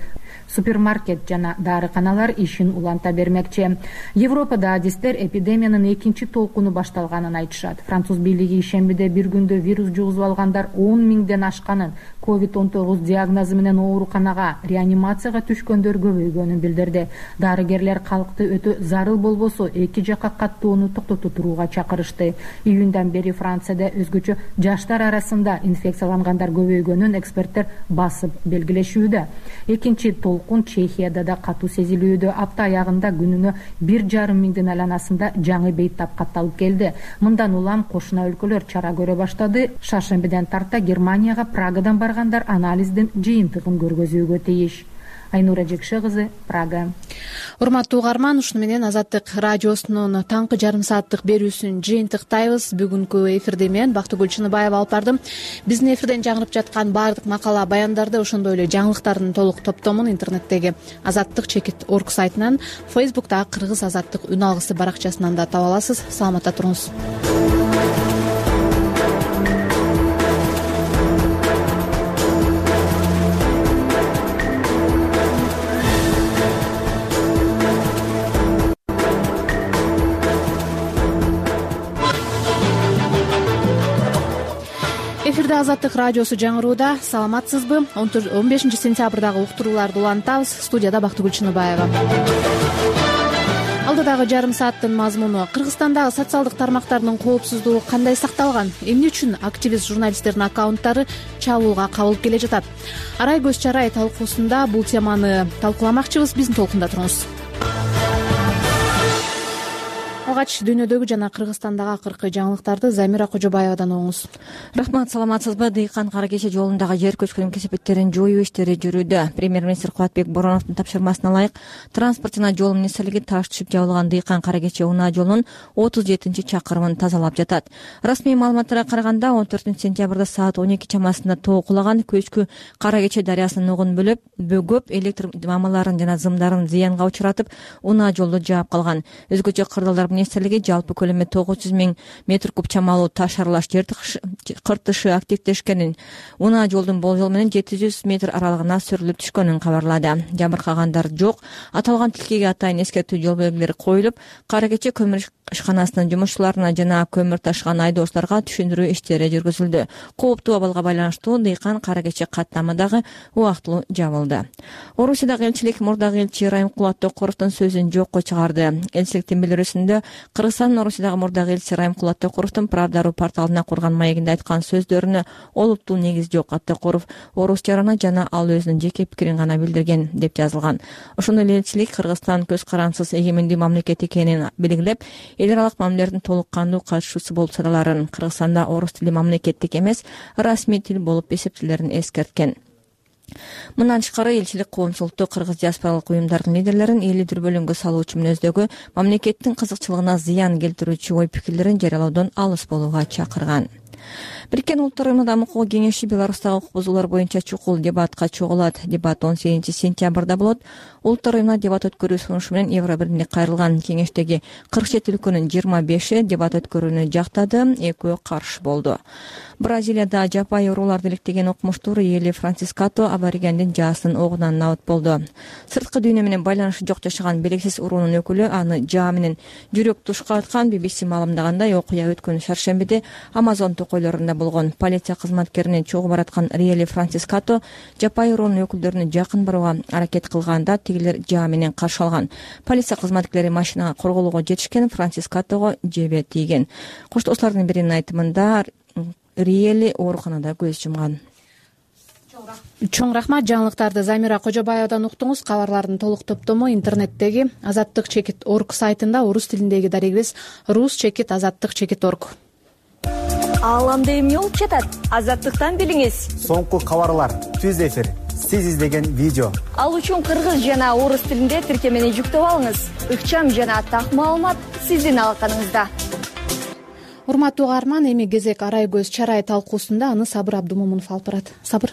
Супермаркет жана дарыканалар ишин уланта бермекчи. Европада адистер эпидемиянын экинчи толкуну башталганын айтышат. Француз бийлиги ишембиде бир күндө вирус жугузуп алгандар 10 миңден ашканын, COVID-19 диагнозу менен ооруканага, реанимацияга түшкөндөр көбөйгөнүн билдирди. Дарыгерлер калкты өтө зарыл болбосо эки жакка каттоону токтото турууга чакырышты. Июндан бери Францияда өзгөчө жаштар арасында инфекциялангандар көбөйгөнүн эксперттер басып белгилешүүдө. Экинчи толкун Чехияда да катуу сезилүүдө. Апта аягында күнүнө 1,5 миңдин айланасында жаңы бейтап катталып келди. Мындан улам кошуна өлкөлөр чара көрө баштады. Шаршембиден тарта Германияга Прагадан баргандар анализдин жыйынтыгын көргөзүүгө тийиш. Айнура Жекше кызы, Прага. Урматтуу угарман, ушуну менен Азаттык радиосунун таңкы жарым сааттык берүүсүн жыйынтыктайбыз. Бүгүнкү эфирди мен Бактыгүл Чыныбаева алып бардым. Биздин эфирден жаңырып жаткан баардык макала баяндарды, ошондой эле жаңылыктардын толук топтомун интернеттеги azаттык.org сайтынан, Facebooktагы Кыргыз Азаттык үн алгысы баракчасынан да таба аласыз. Саламатта туруңуз. Эфирде Азаттык радиосу жаңырууда. Саламатсызбы? 15 сентябрдагы уктурууларды улантабыз. Студияда Бактыгүл Чыныбаева. Алдыдагы жарым сааттын мазмуну: Кыргызстандагы социалдык тармактардын коопсуздугу кандай сакталган? Эмне үчүн активист журналисттердин аккаунттары чабуулга кабылып келе жатат? Арай көз чарай талкуусунда бул теманы талкууламакчыбыз. Биздин толкунда туруңуз. Алгач дүйнөдөгү жана Кыргызстандагы акыркы жаңылыктарды Замира Кожобаевадан угуңуз. Рахмат, саламатсызбы? Дыйкан Кара Кече жолундагы жер көчкүнүн кесепеттерин жоюу иштери жүрүүдө. Премьер-министр Кубатбек Бороновдун тапшырмасына ылайык транспорт жана жол министрлиги таш түшүп жабылган Дыйкан Кара Кече унаа жолунун 37-чакырымын тазалап жатат. Расмий маалыматтарга караганда 14 сентябрда саат 12 чамасында тоо кулаган көчкү Кара Кече дарыясынын угун бөгөп, электр мамаларын жана зымдарын зыянга учуратып, унаа жолду жаап калган. Өзгөчө кырдаалдар министрлиги жалпы көлөмү 900 000 метр куб чамалуу таш аралаш жер кыртышы активдешкенин, унаа жолдун болжол менен 700 метр аралыгына сүрүлүп түшкөнүн кабарлады. Жабыркагандар жок. Аталган тилкеге атайын эскертүү жол белгилери коюлуп, Кара Кече көмүр ишканасынын жумушчуларына жана көмүр ташыган айдоочуларга түшүндүрүү иштери жүргүзүлдү. Кооптуу абалга байланыштуу Дыйкан Кара Кече каттамы дагы убактылуу жабылды. Орусиядагы элчилик мурдагы элчи Райымкулат Токуровдун сөзүн жокко чыгарды. Элчиликтин билдирүүсүндө Кыргызстандын Орусиядагы мурдагы элчиси Райымкулат Токуровдун Правда.ру порталына курган маегинде айткан сөздөрүнө олуттуу негиз жок. Токуров орус жарана жана ал өзүнүн жеке пикирин гана билдирген деп жазылган. Ошондой эле элчилик Кыргызстан көз карансыз эгемендүү мамлекет экенин белгилеп, эл аралык мамилелердин толук кандуу катышуучусу болуп саналарын, Кыргызстанда орус тили мамлекеттик эмес, расмий тил болуп эсептелерин эскерткен. Мындан тышкары элчилик коомчулукту кыргыз диаспоралык уюмдардын лидерлерин элди дүрбөлөңгө салуучу мүнөздөгү мамлекеттин кызыкчылыгына зыян келтирүүчү ой-пикирлерин жарыялоодон алыс болууга чакырган. Бириккен Улуттар Уюмунун Дамуу кеңеши Беларустагы укук бузуулар боюнча чукул дебатка чогулат. Дебат 18 сентябрда болот. Улуттар Уюмуна дебат өткөрүү сунушу менен Евробирликке кайрылган кеңештеги 47 өлкөнүн 25 дебат өткөрүүнү жактады, 2 каршы болду. Бразилияда жапайы урууларды иликтеген окумуштуу Риели Франсискато аборигендин жаасын огунан набыт болду. Сырткы дүйнө менен байланышы жок жашаган белгисиз уруунун өкүлү аны жаа менен жүрөк тушка аткан. BBC маалымдагандай, окуя өткөн шаршембиде Амазон токойлорунда болгон. Полиция кызматкеринин чогуу бараткан Риели Франсискато жапайы уруунун өкүлдөрүнө жакын барууга аракет кылганда тигилер жаа менен каршы алган. Полиция кызматкерлери машинага корголоого жетишкен, Франсискатого жебе тийген. Коштоочулардын биринин айтымында Риели ооруканада көз жумган. Чоң рахмат. Жаңылыктарды Замира Кожобаевадан уктуңуз. Кабарлардын толук топтому интернеттеги azаттык.org сайтында, орус тилиндеги дарегибиз rus.azаттык.org. Ааламда эмне болуп жатат? Азаттыктан билиңиз. Соңку кабарлар, түз эфир, сиз издеген видео. Ал үчүн кыргыз жана орус тилинде тиркемени жүктөп алыңыз. Ыкчам жана так маалымат сиздин алаканыңызда. Урматтуу угарман, эми кезек Арай көз чарай талкуусунда, аны Сабыр Абдумомунов алып барат. Сабыр.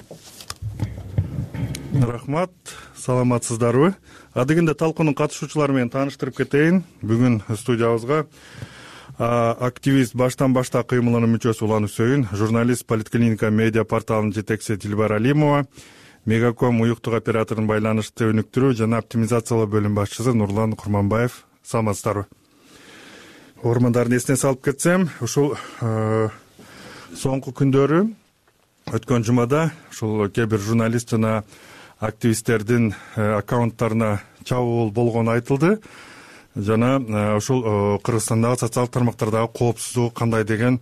Рахмат, саламатсыздарбы? Адегенде талкуунун катышуучулары менен тааныштырып кетейин. Бүгүн студиябызга активист баштан башта кыймылынын мүчөсү Улан Үсөйүн, журналист, Политклиника медиа порталынын жетекчиси Дилбар Алимова, Мегаком уюктук операторунун байланышты өнүктүрүү жана оптимизациялоо бөлүм башчысы Нурлан Курманбаев. Саламатсыздарбы? Ормандардын эсине салып кетсем, ушул соңку күндөрү өткөн жумада ушул кээ бир журналист жана активисттердин аккаунттарына чабуул болгону айтылды. Жана ушул Кыргызстандагы социалдык тармактардагы коопсуздугу кандай деген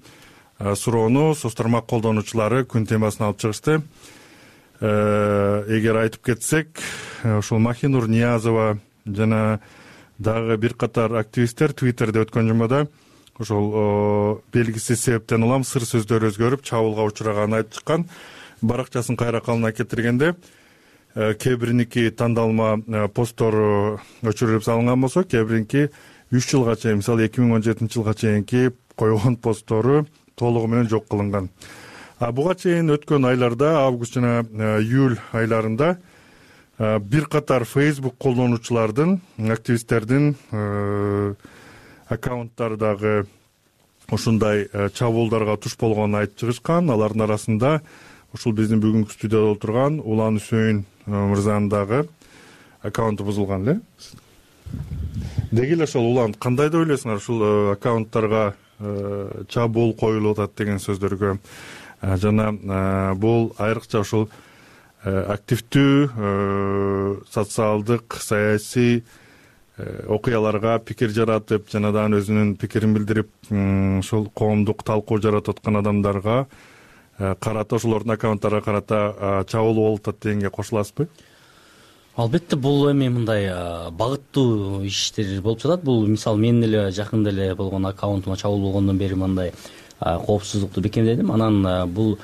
суроону соц тармак колдонуучулары күн темасына алып чыгышты. Эгер айтып кетсек, ушул Махинур Ниязова жана дагы бир катар активисттер Twitterде өткөн жумада ошол белгисиз себептен улам сыр сөздөр өзгөрүп чабуулга учураганын айтып чыккан. Баракчасын кайра калына келтиргенде кээ бириники тандалма посттору өчүрүлүп салынган болсо, кээ бириники 3 жылга чейин, мисалы 2017 жылга чейинки койгон посттору толугу менен жок кылынган. Буга чейин өткөн айларда, август жана июль айларында бир катар Facebook колдонуучулардын, активисттердин аккаунттары дагы ушундай чабуулдарга туш болгонун айтып чыгышкан. Алардын арасында ушул биздин бүгүнкү студияда отурган Улан Үсөйүн мырзанын дагы аккаунту бузулган эле. Деги эле ошол Улан, кандай деп ойлойсуңар ушул аккаунттарга чабуул коюлуп атат деген сөздөргө? Жана бул айрыкча ушул активдүү социалдык, саясий окуяларга пикир жаратып, жанадан өзүнүн пикирин билдирип, ушул коомдук талкуу жаратып аткан адамдарга карата, ошолордун аккаунттарына карата чабуул болуп атат дегенге кошуласызбы? Албетте, бул эми мындай багыттуу иштер болуп жатат. Бул мисалы мен эле жакында эле болгон аккаунтума чабуул болгондон бери мындай коопсуздукту бекемдедим. Анан бул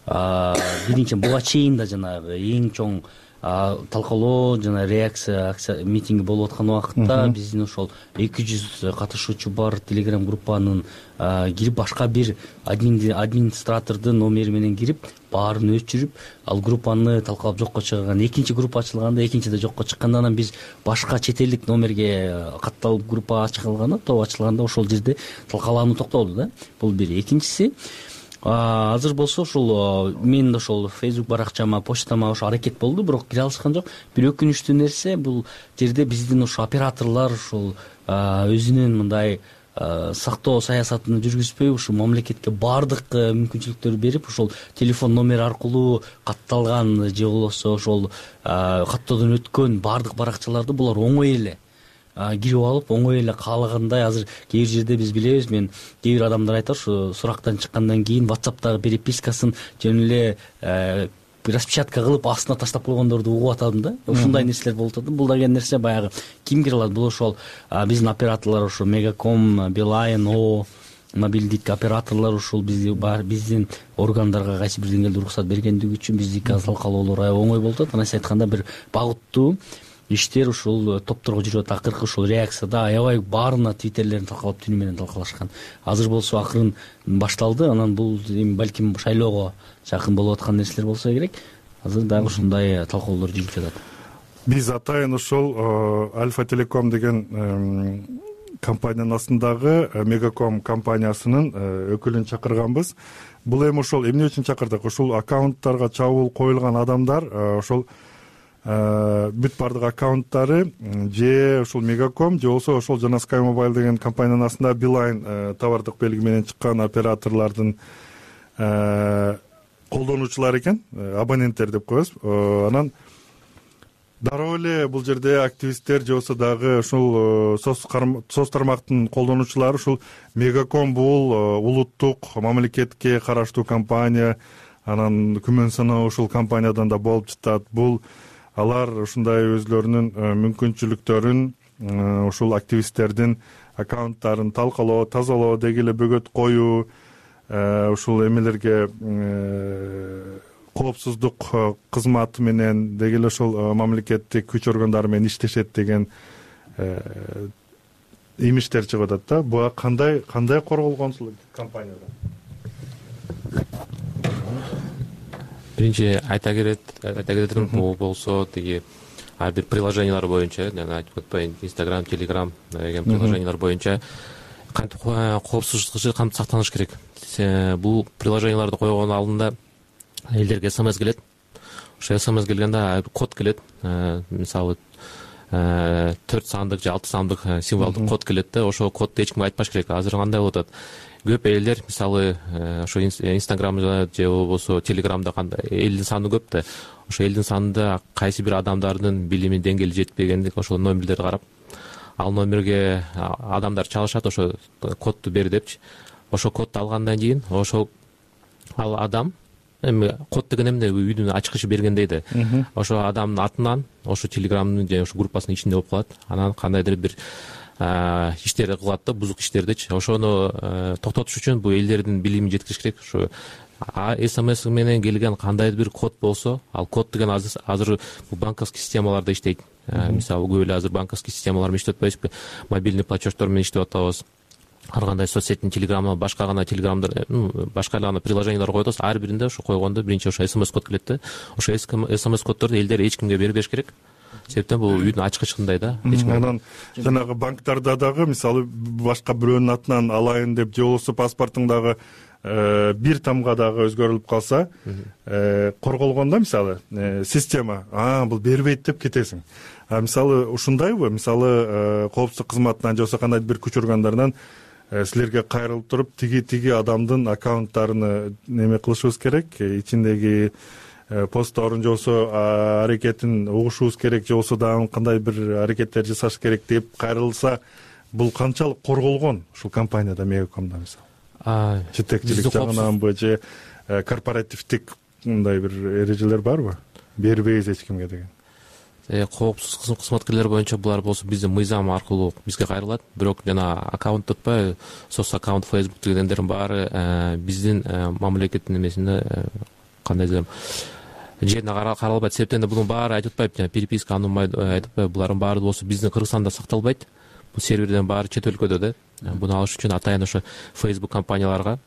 биринчи буга чейин да жанагы эң чоң талкуулоо жана реакция акция митинги болуп аткан убакытта биздин ошол 200 катышуучу бар Telegram группанын кирип, башка бир администратордун номери менен кирип, баарын өчүрүп, ал группаны талкалап жокко чыгарган. Экинчи группа ачылганда, экинчи да жокко чыкканда, анан биз башка чет элдик номерге катталып группа ачылганда, топ ачылганда ошол жерде талкалануу токтолду да. Бул бир. Экинчиси, азыр болсо ушул мен ошол Facebook баракчама, почтама ошо аракет болду, бирок кире алышкан жок. Бир өкүнүчтүү нерсе, бул жерде биздин ошо операторлор ушул өзүнүн мындай сактоо саясатын жүргүзбөй, ушул мамлекетке баардык мүмкүнчүлүктөрдү берип, ошол телефон номери аркылуу катталган же болбосо ошол каттоодон өткөн баардык баракчаларды булар оңой эле кирип алып, оңой эле каалагандай. Азыр кээ бир жерде биз билебиз, мен кээ бир адамдар айтат, ушу сурактан чыккандан кийин WhatsApp'тагы перепискасын жөн эле распечатка кылып астына таштап койгондорду угуп атадым да. Ушундай нерселер болуп атат. Бул деген нерсе баягы ким кире алат? Бул ошол биздин операторлор, ошо Мегаком, Билайн, мобилдик операторлор ушул биздин органдарга кайсы бир деңгээлде уруксат бергендиги үчүн биздики талкалоолор аябай оңой болуп атат. Анан айтканда бир багыттуу иштер ушул топторго жүрүп атат. Акыркы ушул реакцияда аябай баарына твиттерлерин талкалап, түнү менен талкалашкан. Азыр болсо акырын башталды. Анан бул балким шайлоого жакын болуп аткан нерселер болсо керек. Азыр дагы ушундай талкуулар жүрүп жатат. Биз атайын ушул Альфа Телеком деген компаниянын астындагы Мегаком компаниясынын өкүлүн чакырганбыз. Бул эми ошол эмне үчүн чакырдык? Ушул аккаунттарга чабуул коюлган адамдар ошол бүт бардык аккаунттары же ушул Мегаком же болбосо ошол жана Sky Mobile деген компаниянын астында Билайн товардык белги менен чыккан операторлордун колдонуучулары экен, абоненттер деп коебуз. Анан дароо эле бул жерде активисттер же болбосо дагы ушул соц тармактын колдонуучулары ушул Мегаком бул улуттук мамлекетке караштуу компания, анан күмөн саноо ушул компаниядан да болуп жатат. Бул алар ушундай өзлөрүнүн мүмкүнчүлүктөрүн ушул активисттердин аккаунттарын талкалоо, тазалоо, деги эле бөгөт коюу, ушул эмелерге коопсуздук кызматы менен деги эле ушул мамлекеттик күч органдары менен иштешет деген имиштер чыгып атат да. Буга кандай корголгон ушул компанияда? Биринчи айта кететим, бул болсо тиги ар бир приложениялар боюнча, жана айтып өтпөйүн, Instagram, Telegram деген приложениялар боюнча кантип коопсуздук кантип сактаныш керек. Бул приложенияларды койгондун алдында элдерге СМС келет. Ошо СМС келгенде код келет. Мисалы 4 сандык же 6 сандык символдук код келет да. Ошол кодду эч кимге айтпаш керек. Азыр кандай болуп атат? Көп элдер мисалы ошо Instagramда же болбосо Telegramда кандай элдин саны көп да. Ошо элдин санында кайсы бир адамдардын билими деңгээли жетпегендик ошол номерлерди карап, ал номерге адамдар чалышат, ошо кодду бер депчи. Ошо кодду алгандан кийин ошол ал адам эми код деген эмне, үйдүн ачкычы бергендейди. Ошо адамдын атынан ошо телеграмдын же ошо группасынын ичинде болуп калат. Анан кандайдыр бир иштерди кылат да, бузук иштердичи. Ошону токтотуш үчүн бул элдердин билимин жеткириш керек. Ошо СМС менен келген кандайдыр бир код болсо, ал код деген азыр бул банковский системаларда иштейт. Мисалы көп эле азыр банковский системалар менен иштеп атпайбызбы, мобильный платеждор менен иштеп атабыз. Ар кандай соц сеттин телеграмы, башка гана телеграмдар, башка эле приложениялар коюп атабыз. Ар биринде ошо койгондо биринчи ошо СМС код келет да. Ошо СМС коддорду элдер эч кимге бербеш керек. Себептен бул үйдүн ачкычындай да. Анан жанагы банктарда дагы мисалы башка бирөөнүн атынан алайын деп же болбосо паспортуңдагы бир тамга дагы өзгөрүлүп калса, корголгондо мисалы система бул бербейт деп кетесиң. Мисалы ушундайбы? Мисалы коопсуздук кызматынан же болбосо кандайдыр бир күч органдарынан силерге кайрылып туруп тиги адамдын аккаунттарын неме кылышыбыз керек, ичиндеги постторун же болбосо аракетин угушубуз керек, же болбосо дагы кандай бир аракеттер жасаш керек деп кайрылса, бул канчалык корголгон ушул компанияда, Мегакомдо мисалы? Жетекчилик жагынанбы же корпоративдик мындай бир эрежелер барбы? Бербейбиз эч кимге деген. Коопсуз кызматкерлер боюнча булар болсо биздин мыйзам аркылуу бизге кайрылат. Бирок жана аккаунт атпайбы, соц аккаунт, Facebook дегендердин баары биздин мамлекеттин эмесинде кандай десем жерине каралбайт. Себептен да бунун баары айтып атпайбы, жана переписка анунбайт айтып атпайбы. Булардын баары болсо биздин Кыргызстанда сакталбайт. Бул серверден баары чет өлкөдө да. Буну алыш үчүн атайын ошо Facebook компанияларга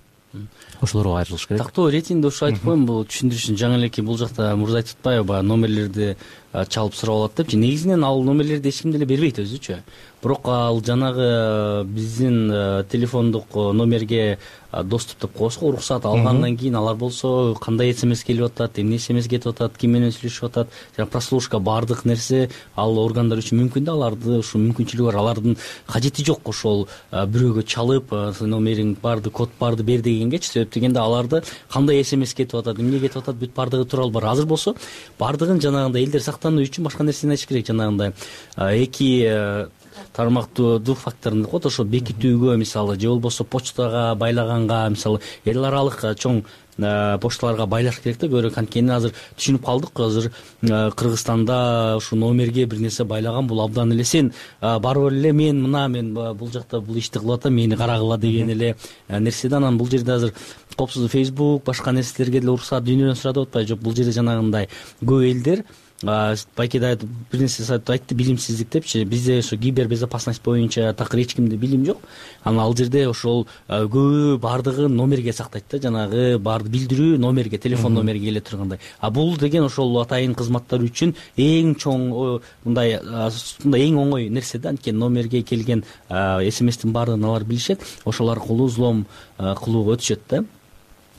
ошолорго кайрылыш керек. Тактоо ретинде ошо айтып коеюн, бул түшүндүрүш үчүн жаңы элеки бул жакта мурда айтып атпайбы, баягы номерлерди чалып сурап алат депчи. Негизинен ал номерлерди эч ким деле бербейт өзүчү. Бирок ал жанагы биздин телефондук номерге доступ деп коебузго, уруксат алгандан кийин алар болсо кандай СМС келип атат, эмне СМС кетип атат, ким менен сүйлөшүп атат, жана прослушка баардык нерсе ал органдар үчүн мүмкүн да, аларды ушул мүмкүнчүлүгү бар. Алардын кажети жок ошол бирөөгө чалып номериң барды, код барды бер дегенгечи. Себеп дегенде аларды кандай СМС кетип атат, эмне кетип атат, бүт бардыгы тууралуу бар. Азыр болсо бардыгын жанагындай элдер сактануу үчүн башка нерсени айтыш керек. Жанагындай эки тармактуу двухфакторный код, ошо бекитүүгө мисалы же болбосо почтага байлаганга, мисалы эл аралык чоң почталарга байлаш керек да. Көрө анткени азыр түшүнүп калдык, азыр Кыргызстанда ушу номерге бир нерсе байлаган бул абдан эле сен барып эле мен бул жакта бул ишти кылып атам, мени карагыла деген эле нерседе. Анан бул жерде азыр коопсуздук Facebook башка нерселерге деле уруксат дүйнөдөн сурадып атпайбы? Жок, бул жерде жанагындай көп элдер байкеде бир нерсе айтты, билимсиздик депчи. Бизде ошо кибербезопасность боюнча такыр эч кимде билим жок. Анан ал жерде ошол көбү бардыгын номерге сактайт да, жанагы барды билдирүү номерге, телефон номерге келе тургандай. Бул деген ошол атайын кызматтар үчүн эң чоң мындай эң оңой нерсе да. Анткени номерге келген СМСтин баардыгын алар билишет, ошол аркылуу взлом кылууга өтүшөт да.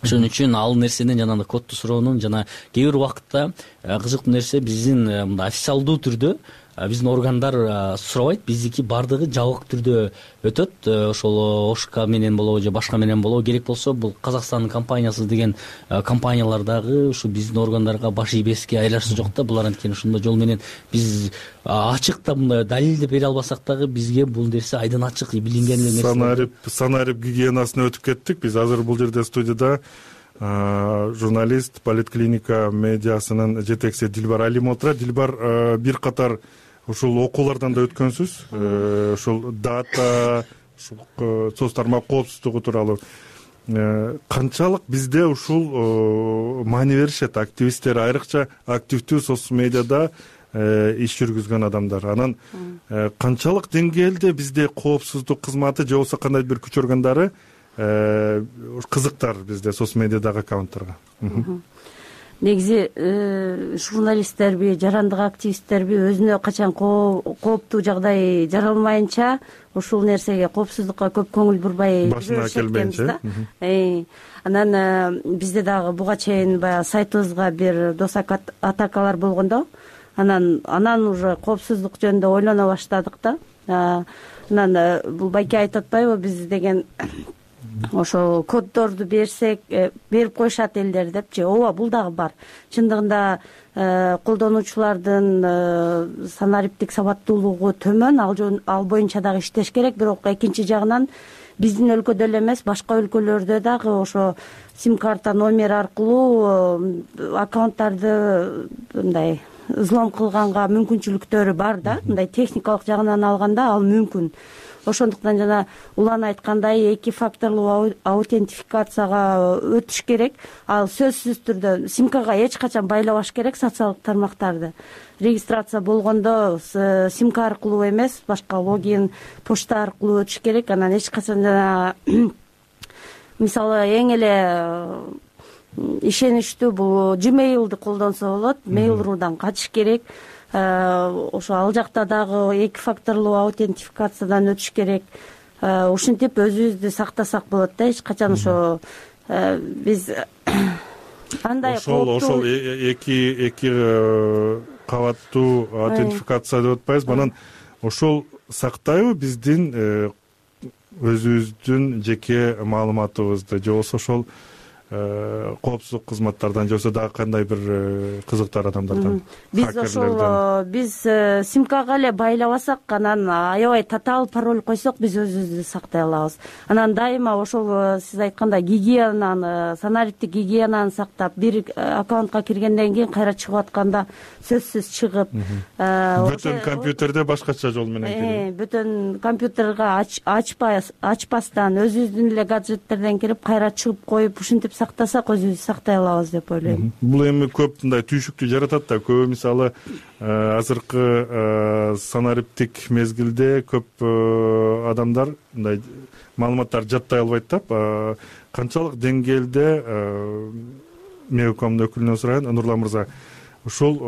Ошон үчүн ал нерсенин жанагы кодду суроонун жана кээ бир убакытта кызыктуу нерсе биздин мындай официалдуу түрдө биздин органдар сурабайт, биздики бардыгы жабык түрдө өтөт. Ошол ОШК менен болобу же башка менен болобу, керек болсо бул Казакстандын компаниясы деген компаниялар дагы ушу биздин органдарга баш ийбеске айлашысы жок да. Булар анткени ушундай жол менен биз ачык да мындай далилдеп бере албасак дагы бизге бул нерсе айдын ачык билинген нерсе. Санарип гигиенасына өтүп кеттик. Биз азыр бул жерде студияда журналист, политклиника медиасынын жетекчиси Дилбар Алимова отурат. Дилбар, бир катар ушул окуулардан да өткөнсүз, ушул дата, соц тармак коопсуздугу тууралуу канчалык бизде ушул маани беришет активисттер, айрыкча активдүү соц медиада иш жүргүзгөн адамдар? Анан канчалык деңгээлде бизде коопсуздук кызматы же болбосо кандайдыр бир күч органдары кызыктар бизде соц медиадагы аккаунттарга? Негизи журналисттерби, жарандык активисттерби өзүнө качан кооптуу жагдай жаралмайынча ушул нерсеге, коопсуздукка көп көңүл бурбай башына келбейинче. Анан бизде дагы буга чейин баягы сайтыбызга бир дос атакалар болгондо, анан уже коопсуздук жөнүндө ойлоно баштадык да. Анан бул байке айтып атпайбы, биз деген ошо коддорду берсек берип коюшат элдер депчи. Ооба, бул дагы бар. Чындыгында колдонуучулардын санариптик сабаттуулугу төмөн, ал боюнча дагы иштеш керек. Бирок экинчи жагынан биздин өлкөдө эле эмес башка өлкөлөрдө дагы ошо сим карта номер аркылуу аккаунттарды мындай взлом кылганга мүмкүнчүлүктөрү бар да, мындай техникалык жагынан алганда ал мүмкүн. Ошондуктан жана улан айткандай 2 факторлуу аутентификацияга өтүш керек. Ал сөзсүз түрдө симкага эч качан байлабаш керек социалдык тармактарды. Регистрация болгондо симка аркылуу эмес, башка логин, почта аркылуу өтүш керек. Анан эч качан жана мисалы эң эле ишеничтүү бул Gmail'ды колдонсо болот. Mail.ru'дан качыш керек. Ошо ал жакта дагы 2 факторлуу аутентификациядан өтүш керек. Ушинтип өзүбүздү сактасак болот да. Эч качан ошо биз андай ошол эки кабаттуу аутентификация деп атпайбызбы? Анан ошол сактайбы биздин өзүбүздүн жеке маалыматыбызды, же болбосо ошол коопсуздук кызматтардан, же болбосо дагы кандай бир кызыктар адамдардан? Биз ошол симкага эле байлабасак, анан аябай татаал пароль койсок, биз өзүбүздү сактай алабыз. Анан дайыма ошол сиз айткандай гигиенаны, санариптик гигиенаны сактап, бир аккаунтка киргенден кийин кайра чыгып атканда сөзсүз чыгып, бөтөн компьютерде башкача жол менен кирип, бөтөн компьютерге ачпастан өзүбүздүн эле гаджеттерден кирип кайра чыгып коюп, ушинтип сактасак өзүбүздү сактай алабыз деп ойлойм. Бул эми көп мындай түйшүктү жаратат да. Көбү мисалы азыркы санариптик мезгилде көп адамдар мындай маалыматтарды жаттай албайт да. Канчалык деңгээлде Меукомдун өкүлүнөн сурайын, Нурлан мырза, ушул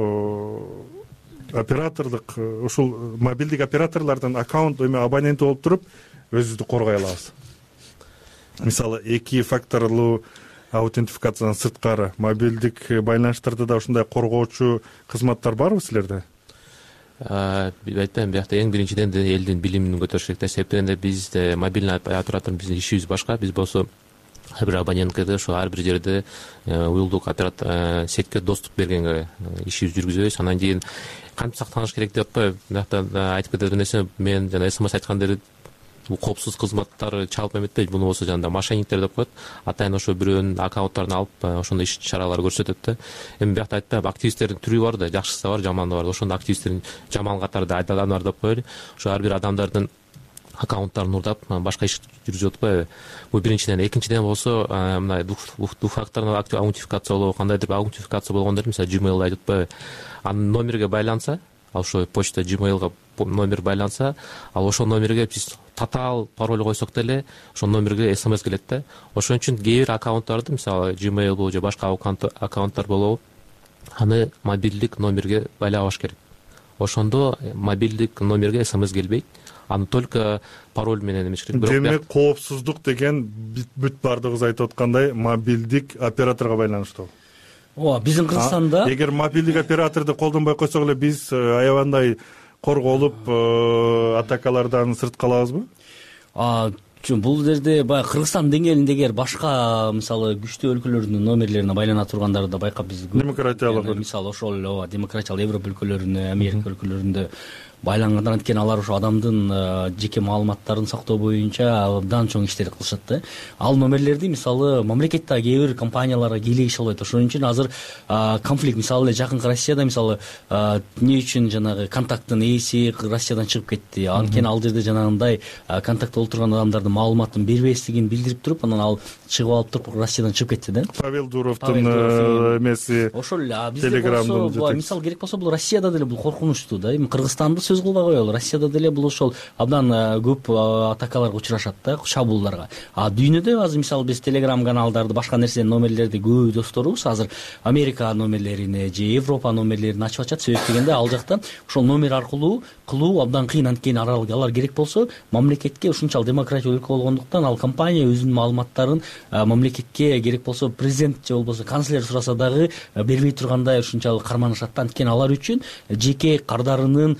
оператордук, ушул мобилдик операторлордун аккаунт абоненти болуп туруп өзүбүздү коргой алабыз? Мисалы 2 факторлуу аутентификациядан сырткары мобилдик байланыштарда да ушундай коргоочу кызматтар барбы силерде? Айтпайм, биякта эң биринчиден элдин билимин көтөрүш керек да. Себеп дегенде бизде мобильный оператор, биздин ишибиз башка. Биз болсо ар бир абонентке ошо ар бир жерде уюлдук оператор сетке доступ бергенге ишибизди жүргүзөбүз. Анан кийин кантип сактаныш керек деп атпайбы? Биякта айтып кетет нерсе, мен жана СМС айткандыр, бул коопсуз кызматтар чалып эметпейт. Буну болсо жана мошенниктер деп коет. Атайын ошо бирөөнүн аккаунттарын алып ошондой иш чаралар көрсөтөт да. Эми биякта айтпайм, активисттердин түрү бар да, жакшысы бар, жаманы бар. Ошондо активисттердин жаман катарында адамдар деп коелу. Ошо ар бир адамдардын аккаунттарын урдап башка иш жүргүзүп атпайбы? Бул биринчиден. Экинчиден болсо мындай двухфакторный аутентификация болобу, кандайдыр бир аутентификация болгондор, мисалы Gmail'ды айтып атпайбы? Анын номерге байланса, ал ошо почта Gmail'га номер байланса, ал ошол номерге биз татаал пароль койсок деле ошол номерге СМС келет да. Ошон үчүн кээ бир аккаунттарды, мисалы Gmail болобу же башка аккаунттар болобу, аны мобилдик номерге байлабаш керек. Ошондо мобилдик номерге СМС келбейт. Аны только пароль менен эмеш керек. Демек, коопсуздук деген бүт бардыгыбыз айтып аткандай мобилдик операторго байланыштуу. Ооба, биздин Кыргызстанда эгер мобилдик операторду колдонбой койсок эле биз аябандай корголуп атакалардан сырт калабызбы? Бул жерде баягы Кыргызстан деңгээлинде эгер башка мисалы күчтүү өлкөлөрдүн номерлерине байлана тургандарды да байкап биз демократиялык, мисалы ошол демократиялык Европа өлкөлөрүнө, Америка өлкөлөрүндө байлангандан анткени алар ошо адамдын жеке маалыматтарын сактоо боюнча абдан чоң иштер кылышат да. Ал номерлерди мисалы мамлекеттеги кээ бир компанияларга кийлегише албайт. Ошон үчүн азыр конфликт, мисалы эле жакынкы Россияда мисалы эмне үчүн жанагы контакттын ээси Россиядан чыгып кетти. Анткени ал жерде жанагындай контактта олтурган адамдардын маалыматын бербестигин билдирип туруп, анан ал чыгып алып туруп Россиядан чыгып кетти да. Павел Дуровдун эмеси ошол эле. Бизде болсо мисалы керек болсо бул Россияда деле бул коркунучтуу да. Эми Кыргызстанды сөз кылбай коелу. Россияда деле бул ошол абдан көп атакаларга учурашат да, шабуулдарга. Дүйнөдө азыр мисалы биз Telegram каналдарды, башка нерсе номерлерди көп досторубуз азыр Америка номерлерине же Европа номерлерин ачып ачат. Себеп дегенде ал жакта ошол номер аркылуу кылуу абдан кыйын. Анткени алар керек болсо мамлекетке ушунчалык демократиялык өлкө болгондуктан ал компания өзүнүн маалыматтарын мамлекетке керек болсо президент же болбосо канцлер сураса дагы бербей тургандай ушунчалык карманышат да. Анткени алар үчүн жеке кардарынын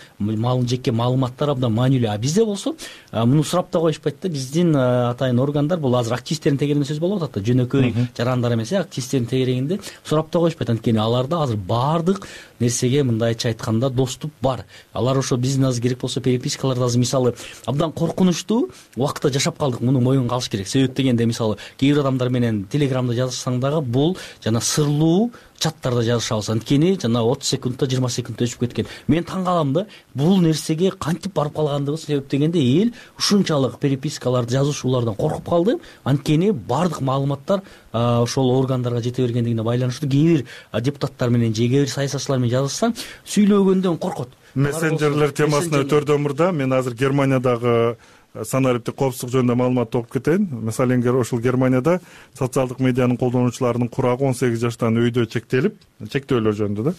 жеке маалыматтар абдан маанилүү. А бизде болсо муну сурап да коюшпайт да. Биздин атайын органдар бул азыр активисттердин тегерегинде сөз болуп атат да, жөнөкөй жарандар эмес, активисттердин тегерегинде сурап да коюшпайт. Анткени аларда азыр баардык нерсеге мындайча айтканда доступ бар. Алар ошо биздин азыр керек болсо перепискаларды азыр мисалы абдан коркунучтуу убакытта жашап калдык, муну моюнга алыш керек. Себеп дегенде мисалы кээ бир адамдар менен телеграмда жазышсаң дагы бул жана сырлуу чаттарда жазышабыз. Анткени жана 30 секундта 20 секундта өчүп кеткен. Мен таң калам да, бул нерсеге кантип барып калгандыгы. Себеп дегенде эл ушунчалык перепискаларды жазышуулардан коркуп калды. Анткени баардык маалыматтар ошол органдарга жете бергендигине байланыштуу. Кээ бир депутаттар менен же кээ бир саясатчылар менен жазышсаң сүйлөгөндөн коркот. Мессенджерлер темасына өтөрдөн мурда мен азыр Германиядагы санариптик коопсуздук жөнүндө маалыматты окуп кетейин. Мисалы ошол Германияда социалдык медианын колдонуучуларынын курагы 18 жаштан өйдө чектөөлөр жөнүндө да.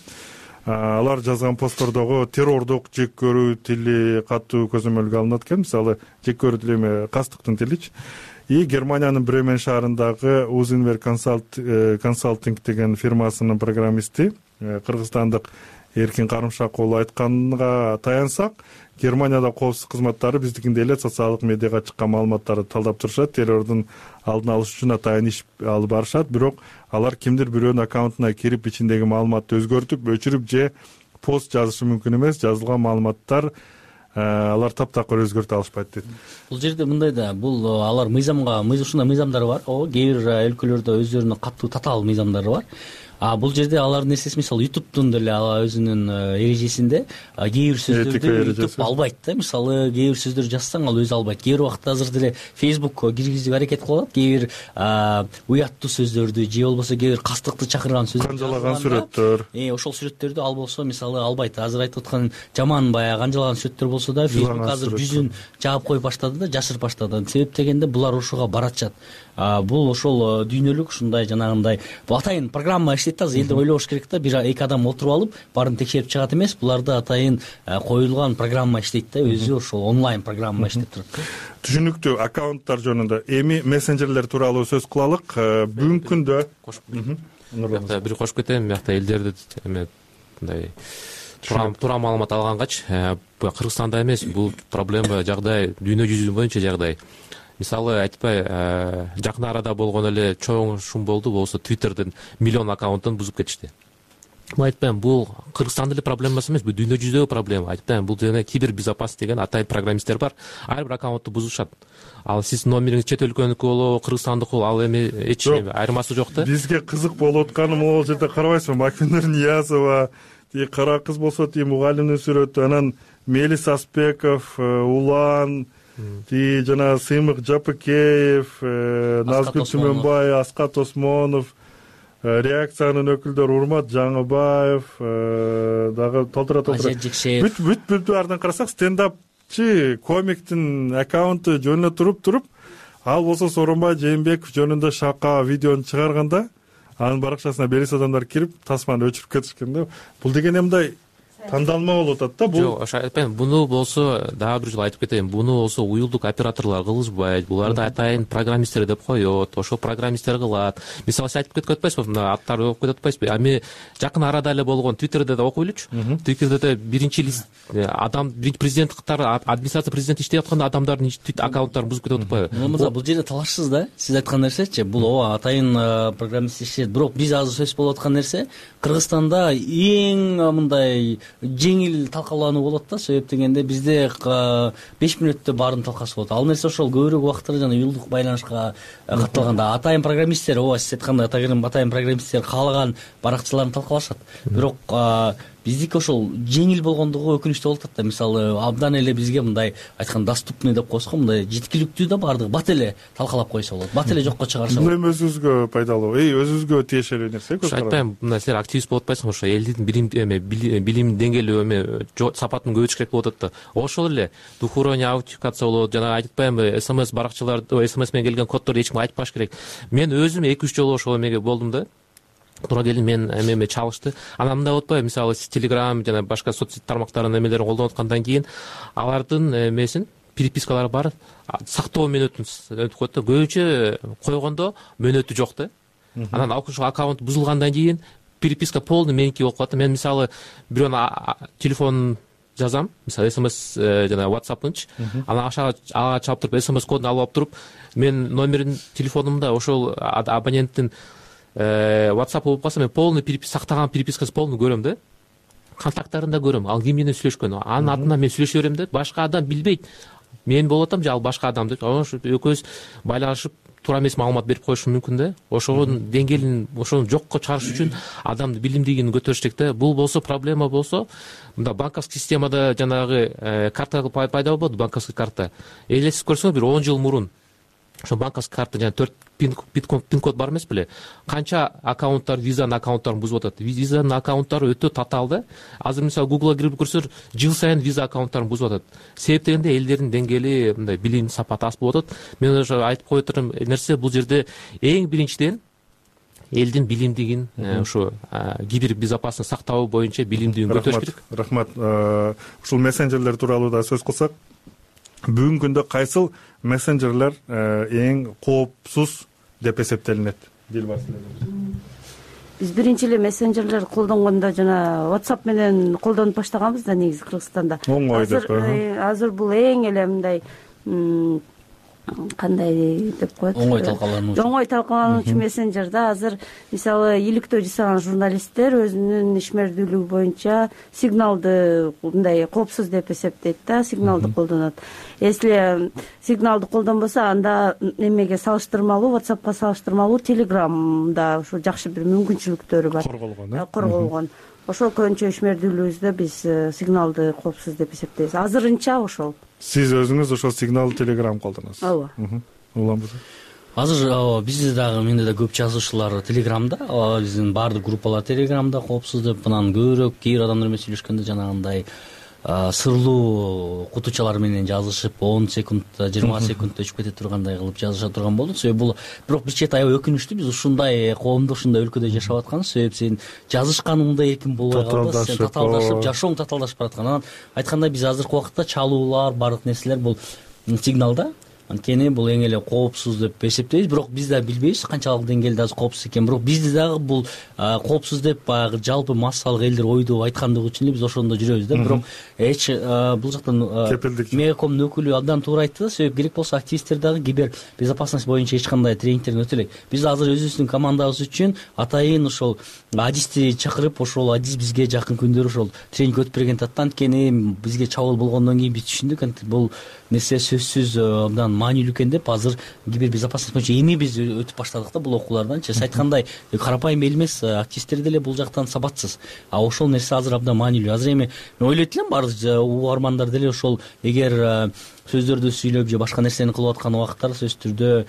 Алар жазган посттордогу террордук жек көрүү тили катуу көзөмөлгө алынат экен. Мисалы жек көрүү тили эме кастыктын тиличи. И Германиянын Бремен шаарындагы Узинвер консалтинг деген фирмасынын программисти кыргызстандык Эркин Карымшак уулу айтканга таянсак, Германияда коопсуздук кызматтары биздикиндей эле социалдык медиага чыккан маалыматтарды талдап турушат, террордун алдын алыш үчүн атайын иш алып барышат. Бирок алар кимдир бирөөнүн аккаунтуна кирип ичиндеги маалыматты өзгөртүп, өчүрүп же пост жазышы мүмкүн эмес. Жазылган маалыматтар алар таптакыр өзгөртө алышпайт дейт. Бул жерде мындай да, бул алар ушундай мыйзамдар бар. Кээ бир өлкөлөрдө өздөрүнүн катуу татаал мыйзамдары бар. Бул жерде алардын нерсеси мисалы YouTube'дун деле өзүнүн эрежесинде кээ бир сөздөрдү YouTube албайт да. Мисалы кээ бир сөздөр жазсаң ал өзү албайт. Кээ бир убакта азыр деле Facebook киргизүүгө аракет кылып атат. Кээ бир уяттуу сөздөрдү же болбосо кээ бир кастыкты чакырган сөздөрдү, канжалаган сүрөттөр. Ошол сүрөттөрдү ал болсо мисалы албайт. Азыр айтып аткан жаман баягы канжалаган сүрөттөр болсо да Facebook азыр жүзүн жаап коюп баштады да, жашырып баштады. Себеп дегенде булар ошого баратышат. Бул ошол дүйнөлүк ушундай жанагындай атайын программа иштейт да. Элдер ойлобош керек да, бир эки адам отуруп алып баарын текшерип чыгат эмес. Буларда атайын коюлган программа иштейт да, өзү ошол онлайн программа иштеп турат. Түшүнүктүү. Аккаунттар жөнүндө эми мессенджерлер тууралуу сөз кылалык. Бүгүнкү күндө бир кошуп кетейин. Биякта элдерди эме мындай туура маалымат алгангач, Кыргызстанда эмес, бул проблема жагдай дүйнө жүзү боюнча жагдай. Мисалы айтпай, жакын арада болгон эле чоң шум болду, болсо Twitterдин миллион аккаунтун бузуп кетишти. Мен айтпайм, бул Кыргызстандын эле проблемасы эмес, бул дүйнө жүзүндөгү проблема. Айтпайм, бул жана кибербезопасность деген атайын программисттер бар. Ар бир аккаунтту бузушат. Ал сиз номериңиз чет өлкөнүкү болобу, Кыргызстандыкы болобу, ал эми эч айырмасы жок да. Бизге кызык болуп атканы могул жерде карабайсызбы? Макинур Ниязова, кара кыз болсо мугалимдин сүрөтү, анан Мелис Аспеков, Улан, жана Сыймык Жапыкеев, Назгүл Түмөнбай, Аскат Осмонов, реакциянын өкүлдөрү Урмат Жаңыбаев, дагы толтура бүт баарынан карасак стендапчы комиктин аккаунту жөнүнө туруп, ал болсо Сооронбай Жээнбеков жөнүндө шака видеону чыгарганда анын баракчасына белгисиз адамдар кирип тасманы өчүрүп кетишкен да. Бул деген эмне тандалма болуп атат да. Жок, ошо айтпайм. Буну болсо дагы бир жолу айтып кетейин. Буну болсо уюлдук операторлор кылышпайт. Буларды атайын программисттер деп коет. Ошол программисттер кылат. Мисалы сиз айтып кетип атпайсызбы? Мына аттарды окуп кетип атпайсызбы? Ами жакын арада эле болгон Twitterде да окуйлучу. Twitterде биринчи лист адам президент катары администрация президент иштеп атканда адамдардын аккаунттарын бузуп кетип атпайбы? Бул жерде талашсыз да. Сиз айткан нерсечи, бул атайын программист иштейт. Бирок биз азыр сөз болуп аткан нерсе Кыргызстанда эң мындай жеңил талкалануу болот да. Себеп дегенде бизде 5 мүнөттө баарын талкасы болот. Ал нерсе ошол көбүрөөк убактта жана уюлдук байланышка катталганда атайын программисттер, сиз айткандай атайын программисттер каалаган баракчаларын талкалашат. Бирок биздики ошол жеңил болгондугу өкүнүчтүү болуп атат да. Мисалы абдан эле бизге мындай айткан доступный деп коесуз го, мындай жеткиликтүү да, баардыгы бат эле талкалап койсо болот. Бат эле жокко чыгарса болот. Бул эми өзүбүзгө пайдалуу, өзүбүзгө тиешелүү нерсе. Айтпайм, мына силер активист болуп атпайсыңбы? Ошо элдин билим деңгээли сапатын көбөйтүш керек болуп атат да. Ошол эле двухуровневый аутентификация болот. Жана айтпайм, СМС баракчаларды, СМС менен келген коддорду эч ким айтпаш керек. Мен өзүм 2-3 жолу ошол эмеге болдум да. Туура келин мен эме чалышты. Анан мындай болуп атпайбы? Мисалы сиз Telegram жана башка соц сет тармактарынын эмелерин колдонуп аткандан кийин алардын эмесин, перепискалары бар, сактоо мөөнөтүн өтүп коет да. Көбүнчө койгондо мөөнөтү жок да. Анан ошол аккаунт бузулгандан кийин переписка полный меники болуп калат. Мен мисалы бирөөнүн телефонун жазам, мисалы смс жана whatsapp'ынчы, анан ага чалып туруп смс кодун алып туруп, мен номерин телефонумда ошол абоненттин whatsapp болуп калса, мен полный сактаган перепискасы полный көрөм да, контакттарында көрөм, ал ким менен сүйлөшкөн, анын атынан мен сүйлөшө берем да, башка адам билбейт мен болуп атам же ал башка адам деп, ошо экөөбүз байланышып туура эмес маалымат берип коюшу мүмкүн да. Ошонун деңгээлин ошону жокко чыгарыш үчүн адамдын билимдүүлүгүн көтөрүш керек да. Бул болсо проблема болсо, мында банковский системада жанагы карта пайда болду, банковский карта. Элестип көрсөңүз, бир 10 жыл мурун ошо банковский карта жана 4 пин код бар эмес беле? Канча аккаунттар, визанын аккаунттарын бузуп атат. Визанын аккаунттары өтө татаал да. Азыр мисалы Google'a кирип көрсөңөр, жыл сайын виза аккаунттарын бузуп атат. Себеп дегенде элдердин деңгээли мындай билим сапаты аз болуп атат. Мен ошо айтып кое турган нерсе, бул жерде эң биринчиден элдин билимдигин, ошо кибербезопасность сактоо боюнча билимдүүлүгүн көтөрүш керек. Рахмат. Ушул мессенджерлер тууралуу да сөз кылсак, бүгүнкү күндө кайсыл мессенджерлер эң коопсуз деп эсептелинет? Дилбар, биз биринчи эле мессенджерлер колдонгондо жана WhatsApp менен колдонуп баштаганбыз да негизи Кыргызстанда. Оңой деп. Азыр бул эң эле мындай кандай деп коет, оңой талкалануучу мессенджер да. Азыр мисалы иликтөө жасаган журналисттер өзүнүн ишмердүүлүгү боюнча сигналды мындай коопсуз деп эсептейт да, сигналды колдонот. Если сигналды колдонбосо, анда эмеге салыштырмалуу, WhatsApp'ка салыштырмалуу Telegram'да ушу жакшы бир мүмкүнчүлүктөрү бар. Корголгон. Ошол көбүнчө ишмердүүлүгүбүздө биз сигналды коопсуз деп эсептейбиз. Азырынча ошол. Сиз өзүңүз ошол сигнал Telegram колдоносуз. Ооба. Улам Азыр бизде дагы, менде да көп жазуучулар Telegram'да, биздин баардык группалар Telegram'да коопсуз деп, анан көбүрөөк кээ бир адамдар менен сүйлөшкөндө жанагындай сырлуу кутучалар менен жазышып 10 секунд, 20 секунд өчүп кете тургандай кылып жазыша турган болду. Себеби бул бирок бир чети аябай өкүнүчтүү, биз ушундай коомдо, ушундай өлкөдө жашап атканбыз. Себеби сен жазышканыңда эркин болбой калды, сен татаалдашып, жашооң татаалдашып бараткан. Анан айткандай, биз азыркы убакытта чалуулар, баардык нерселер бул сигналда. Анткени бул эң эле коопсуз деп эсептейбиз, бирок биз да билбейбиз канчалык деңгээлде азыр коопсуз экенин. Бирок бизде дагы бул коопсуз деп баягы жалпы массалык элдер ойдоп айткандыгы үчүн эле биз ошондо жүрөбүз да. Бирок бул жактан Мегакомдун өкүлү абдан туура айтты да. Себеп керек болсо активисттер дагы кибер безопасность боюнча эч кандай тренингтерден өтө элек. Биз азыр өзүбүздүн командабыз үчүн атайын ошол адисти чакырып, ошол адис бизге жакын күндөрү ошол тренинг өтүп берген татта. Анткени бизге чабуул болгондон кийин биз түшүндүк, бул нерсе сөзсүз абдан маанилүү экен деп. Азыр кибербезопасность боюнча эми биз өтүп баштадык да бул окуулардан. Сиз айткандай, карапайым эл эмес, активисттер деле бул жактан сабатсыз. Ошол нерсе азыр абдан маанилүү. Азыр эми мен ойлойт элем, баардык угармандар деле ошол эгер сөздөрдү сүйлөп же башка нерсени кылып аткан убакыттар сөзсүз түрдө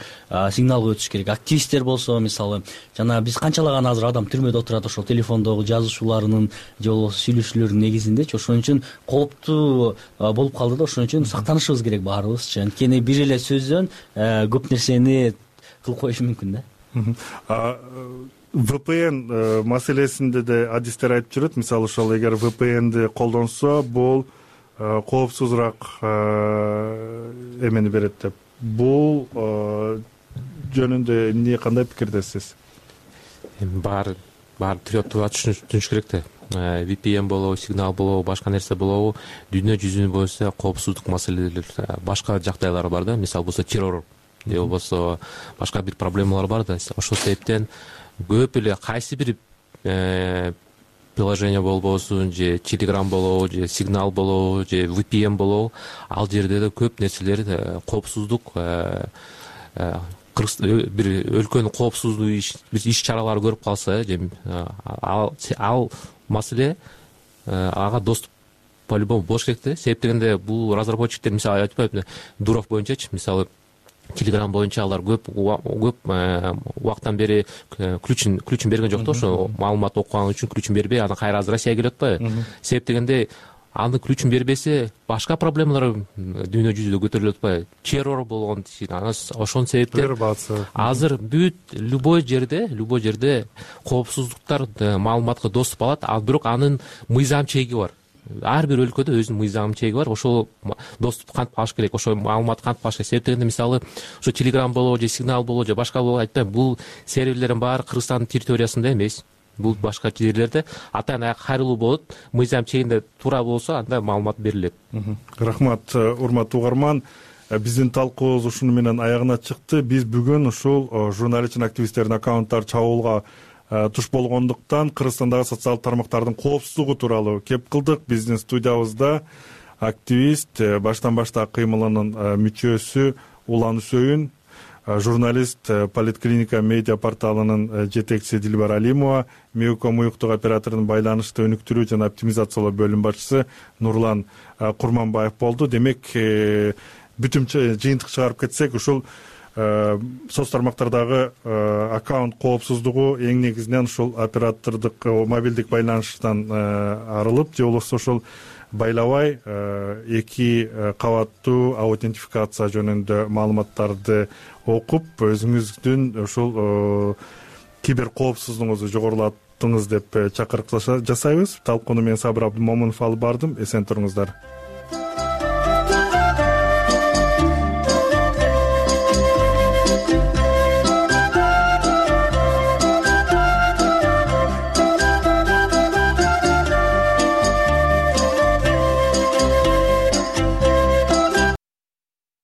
сигналга өтүш керек. Активисттер болсо, мисалы, жана биз канчалаган азыр адам түрмөдө отурат ошол телефондогу жазуучуларынын же болбосо сүйлөшүүлөрүнүн негизиндечи. Ошон үчүн кооптуу болуп калды да. Ошон үчүн сактанышыбыз керек баарыбызчы. Анткени бир эле сөздөн көп нерсени кылып коюшу мүмкүн да. VPN маселесинде де адистер айтып жүрөт. Мисалы, ошол эгер VPN'ди колдонсо, бул коопсузураак эмени берет деп. Бул жөнүндө эмне, кандай пикирдесиз? Баары туура түшүнүш керек да. VPN болобу, сигнал болобу, башка нерсе болобу, дүйнө жүзүнүн боюнча коопсуздук маселелери, башка жагдайлар бар да. Мисалы болсо террор же болбосо башка бир проблемалар бар да. Ошол себептен көп эле кайсы бир приложение болбосун, же Telegram болобу, же сигнал болобу, же VPN болобу, ал жерде да көп нерселер коопсуздук бир өлкөнүн коопсуздук иш чаралары көрүп калса, ал маселе ага доступ по-любому болуш керек да. Себеп дегенде бул разработчиктер, мисалы айтпайбы, Дуров боюнчачы, мисалы Telegram боюнча алар көп убакыттан бери ключун берген жок да. Ошо маалымат окуган үчүн ключун бербей, анан кайра азыр Россияга келип атпайбы. Себеп дегенде анын ключун бербесе, башка проблемалар дүйнө жүзүндө көтөрүлүп атпайбы. Террор болгон, ошонун себептен азыр бүт любой жерде коопсуздуктар маалыматка доступ алат, бирок анын мыйзам чеги бар. Ар бир өлкөдө өзүнүн мыйзам чеги бар. Ошол доступ кантип алыш керек, ошол маалымат кантип алыш керек. Себеп дегенде, мисалы, ошо Telegram болобу, же сигнал болобу, же башка болобу, айтпайм, бул серверлердин баары Кыргызстандын территориясында эмес. бул башка жерлерде атайын аяк кайрылуу болот. Мыйзам чегинде туура болсо анда маалымат берилет. Рахмат, урматтуу угарман. Биздин талкуубуз ушуну менен аягына чыкты. Биз бүгүн ушул журналист жана активисттердин аккаунттары чабуулга туш болгондуктан Кыргызстандагы социалдык тармактардын коопсуздугу тууралуу кеп кылдык. Биздин студиябызда активист, баштан башта кыймылынын мүчөсү Улан Үсөйүн, журналист, Политклиника медиа порталынын жетекчиси Дилбар Алимова, Меуком уюктук операторунун байланышты өнүктүрүү жана оптимизациялоо бөлүм башчысы Нурлан Курманбаев болду. Демек, бүтүн жыйынтык чыгарып кетсек, ушул соц тармактардагы аккаунт коопсуздугу эң негизинен ушул оператордук мобилдик байланыштан арылып, же болбосо ушул байлабай эки кабаттуу аутентификация жөнүндө маалыматтарды окуп, өзүңүздүн ушул кибер коопсуздугуңузду жогорулаттыңыз деп чакырык жасайбыз. Талкууну мен Сабыр Абдымомунов алып бардым. Эсен туруңуздар.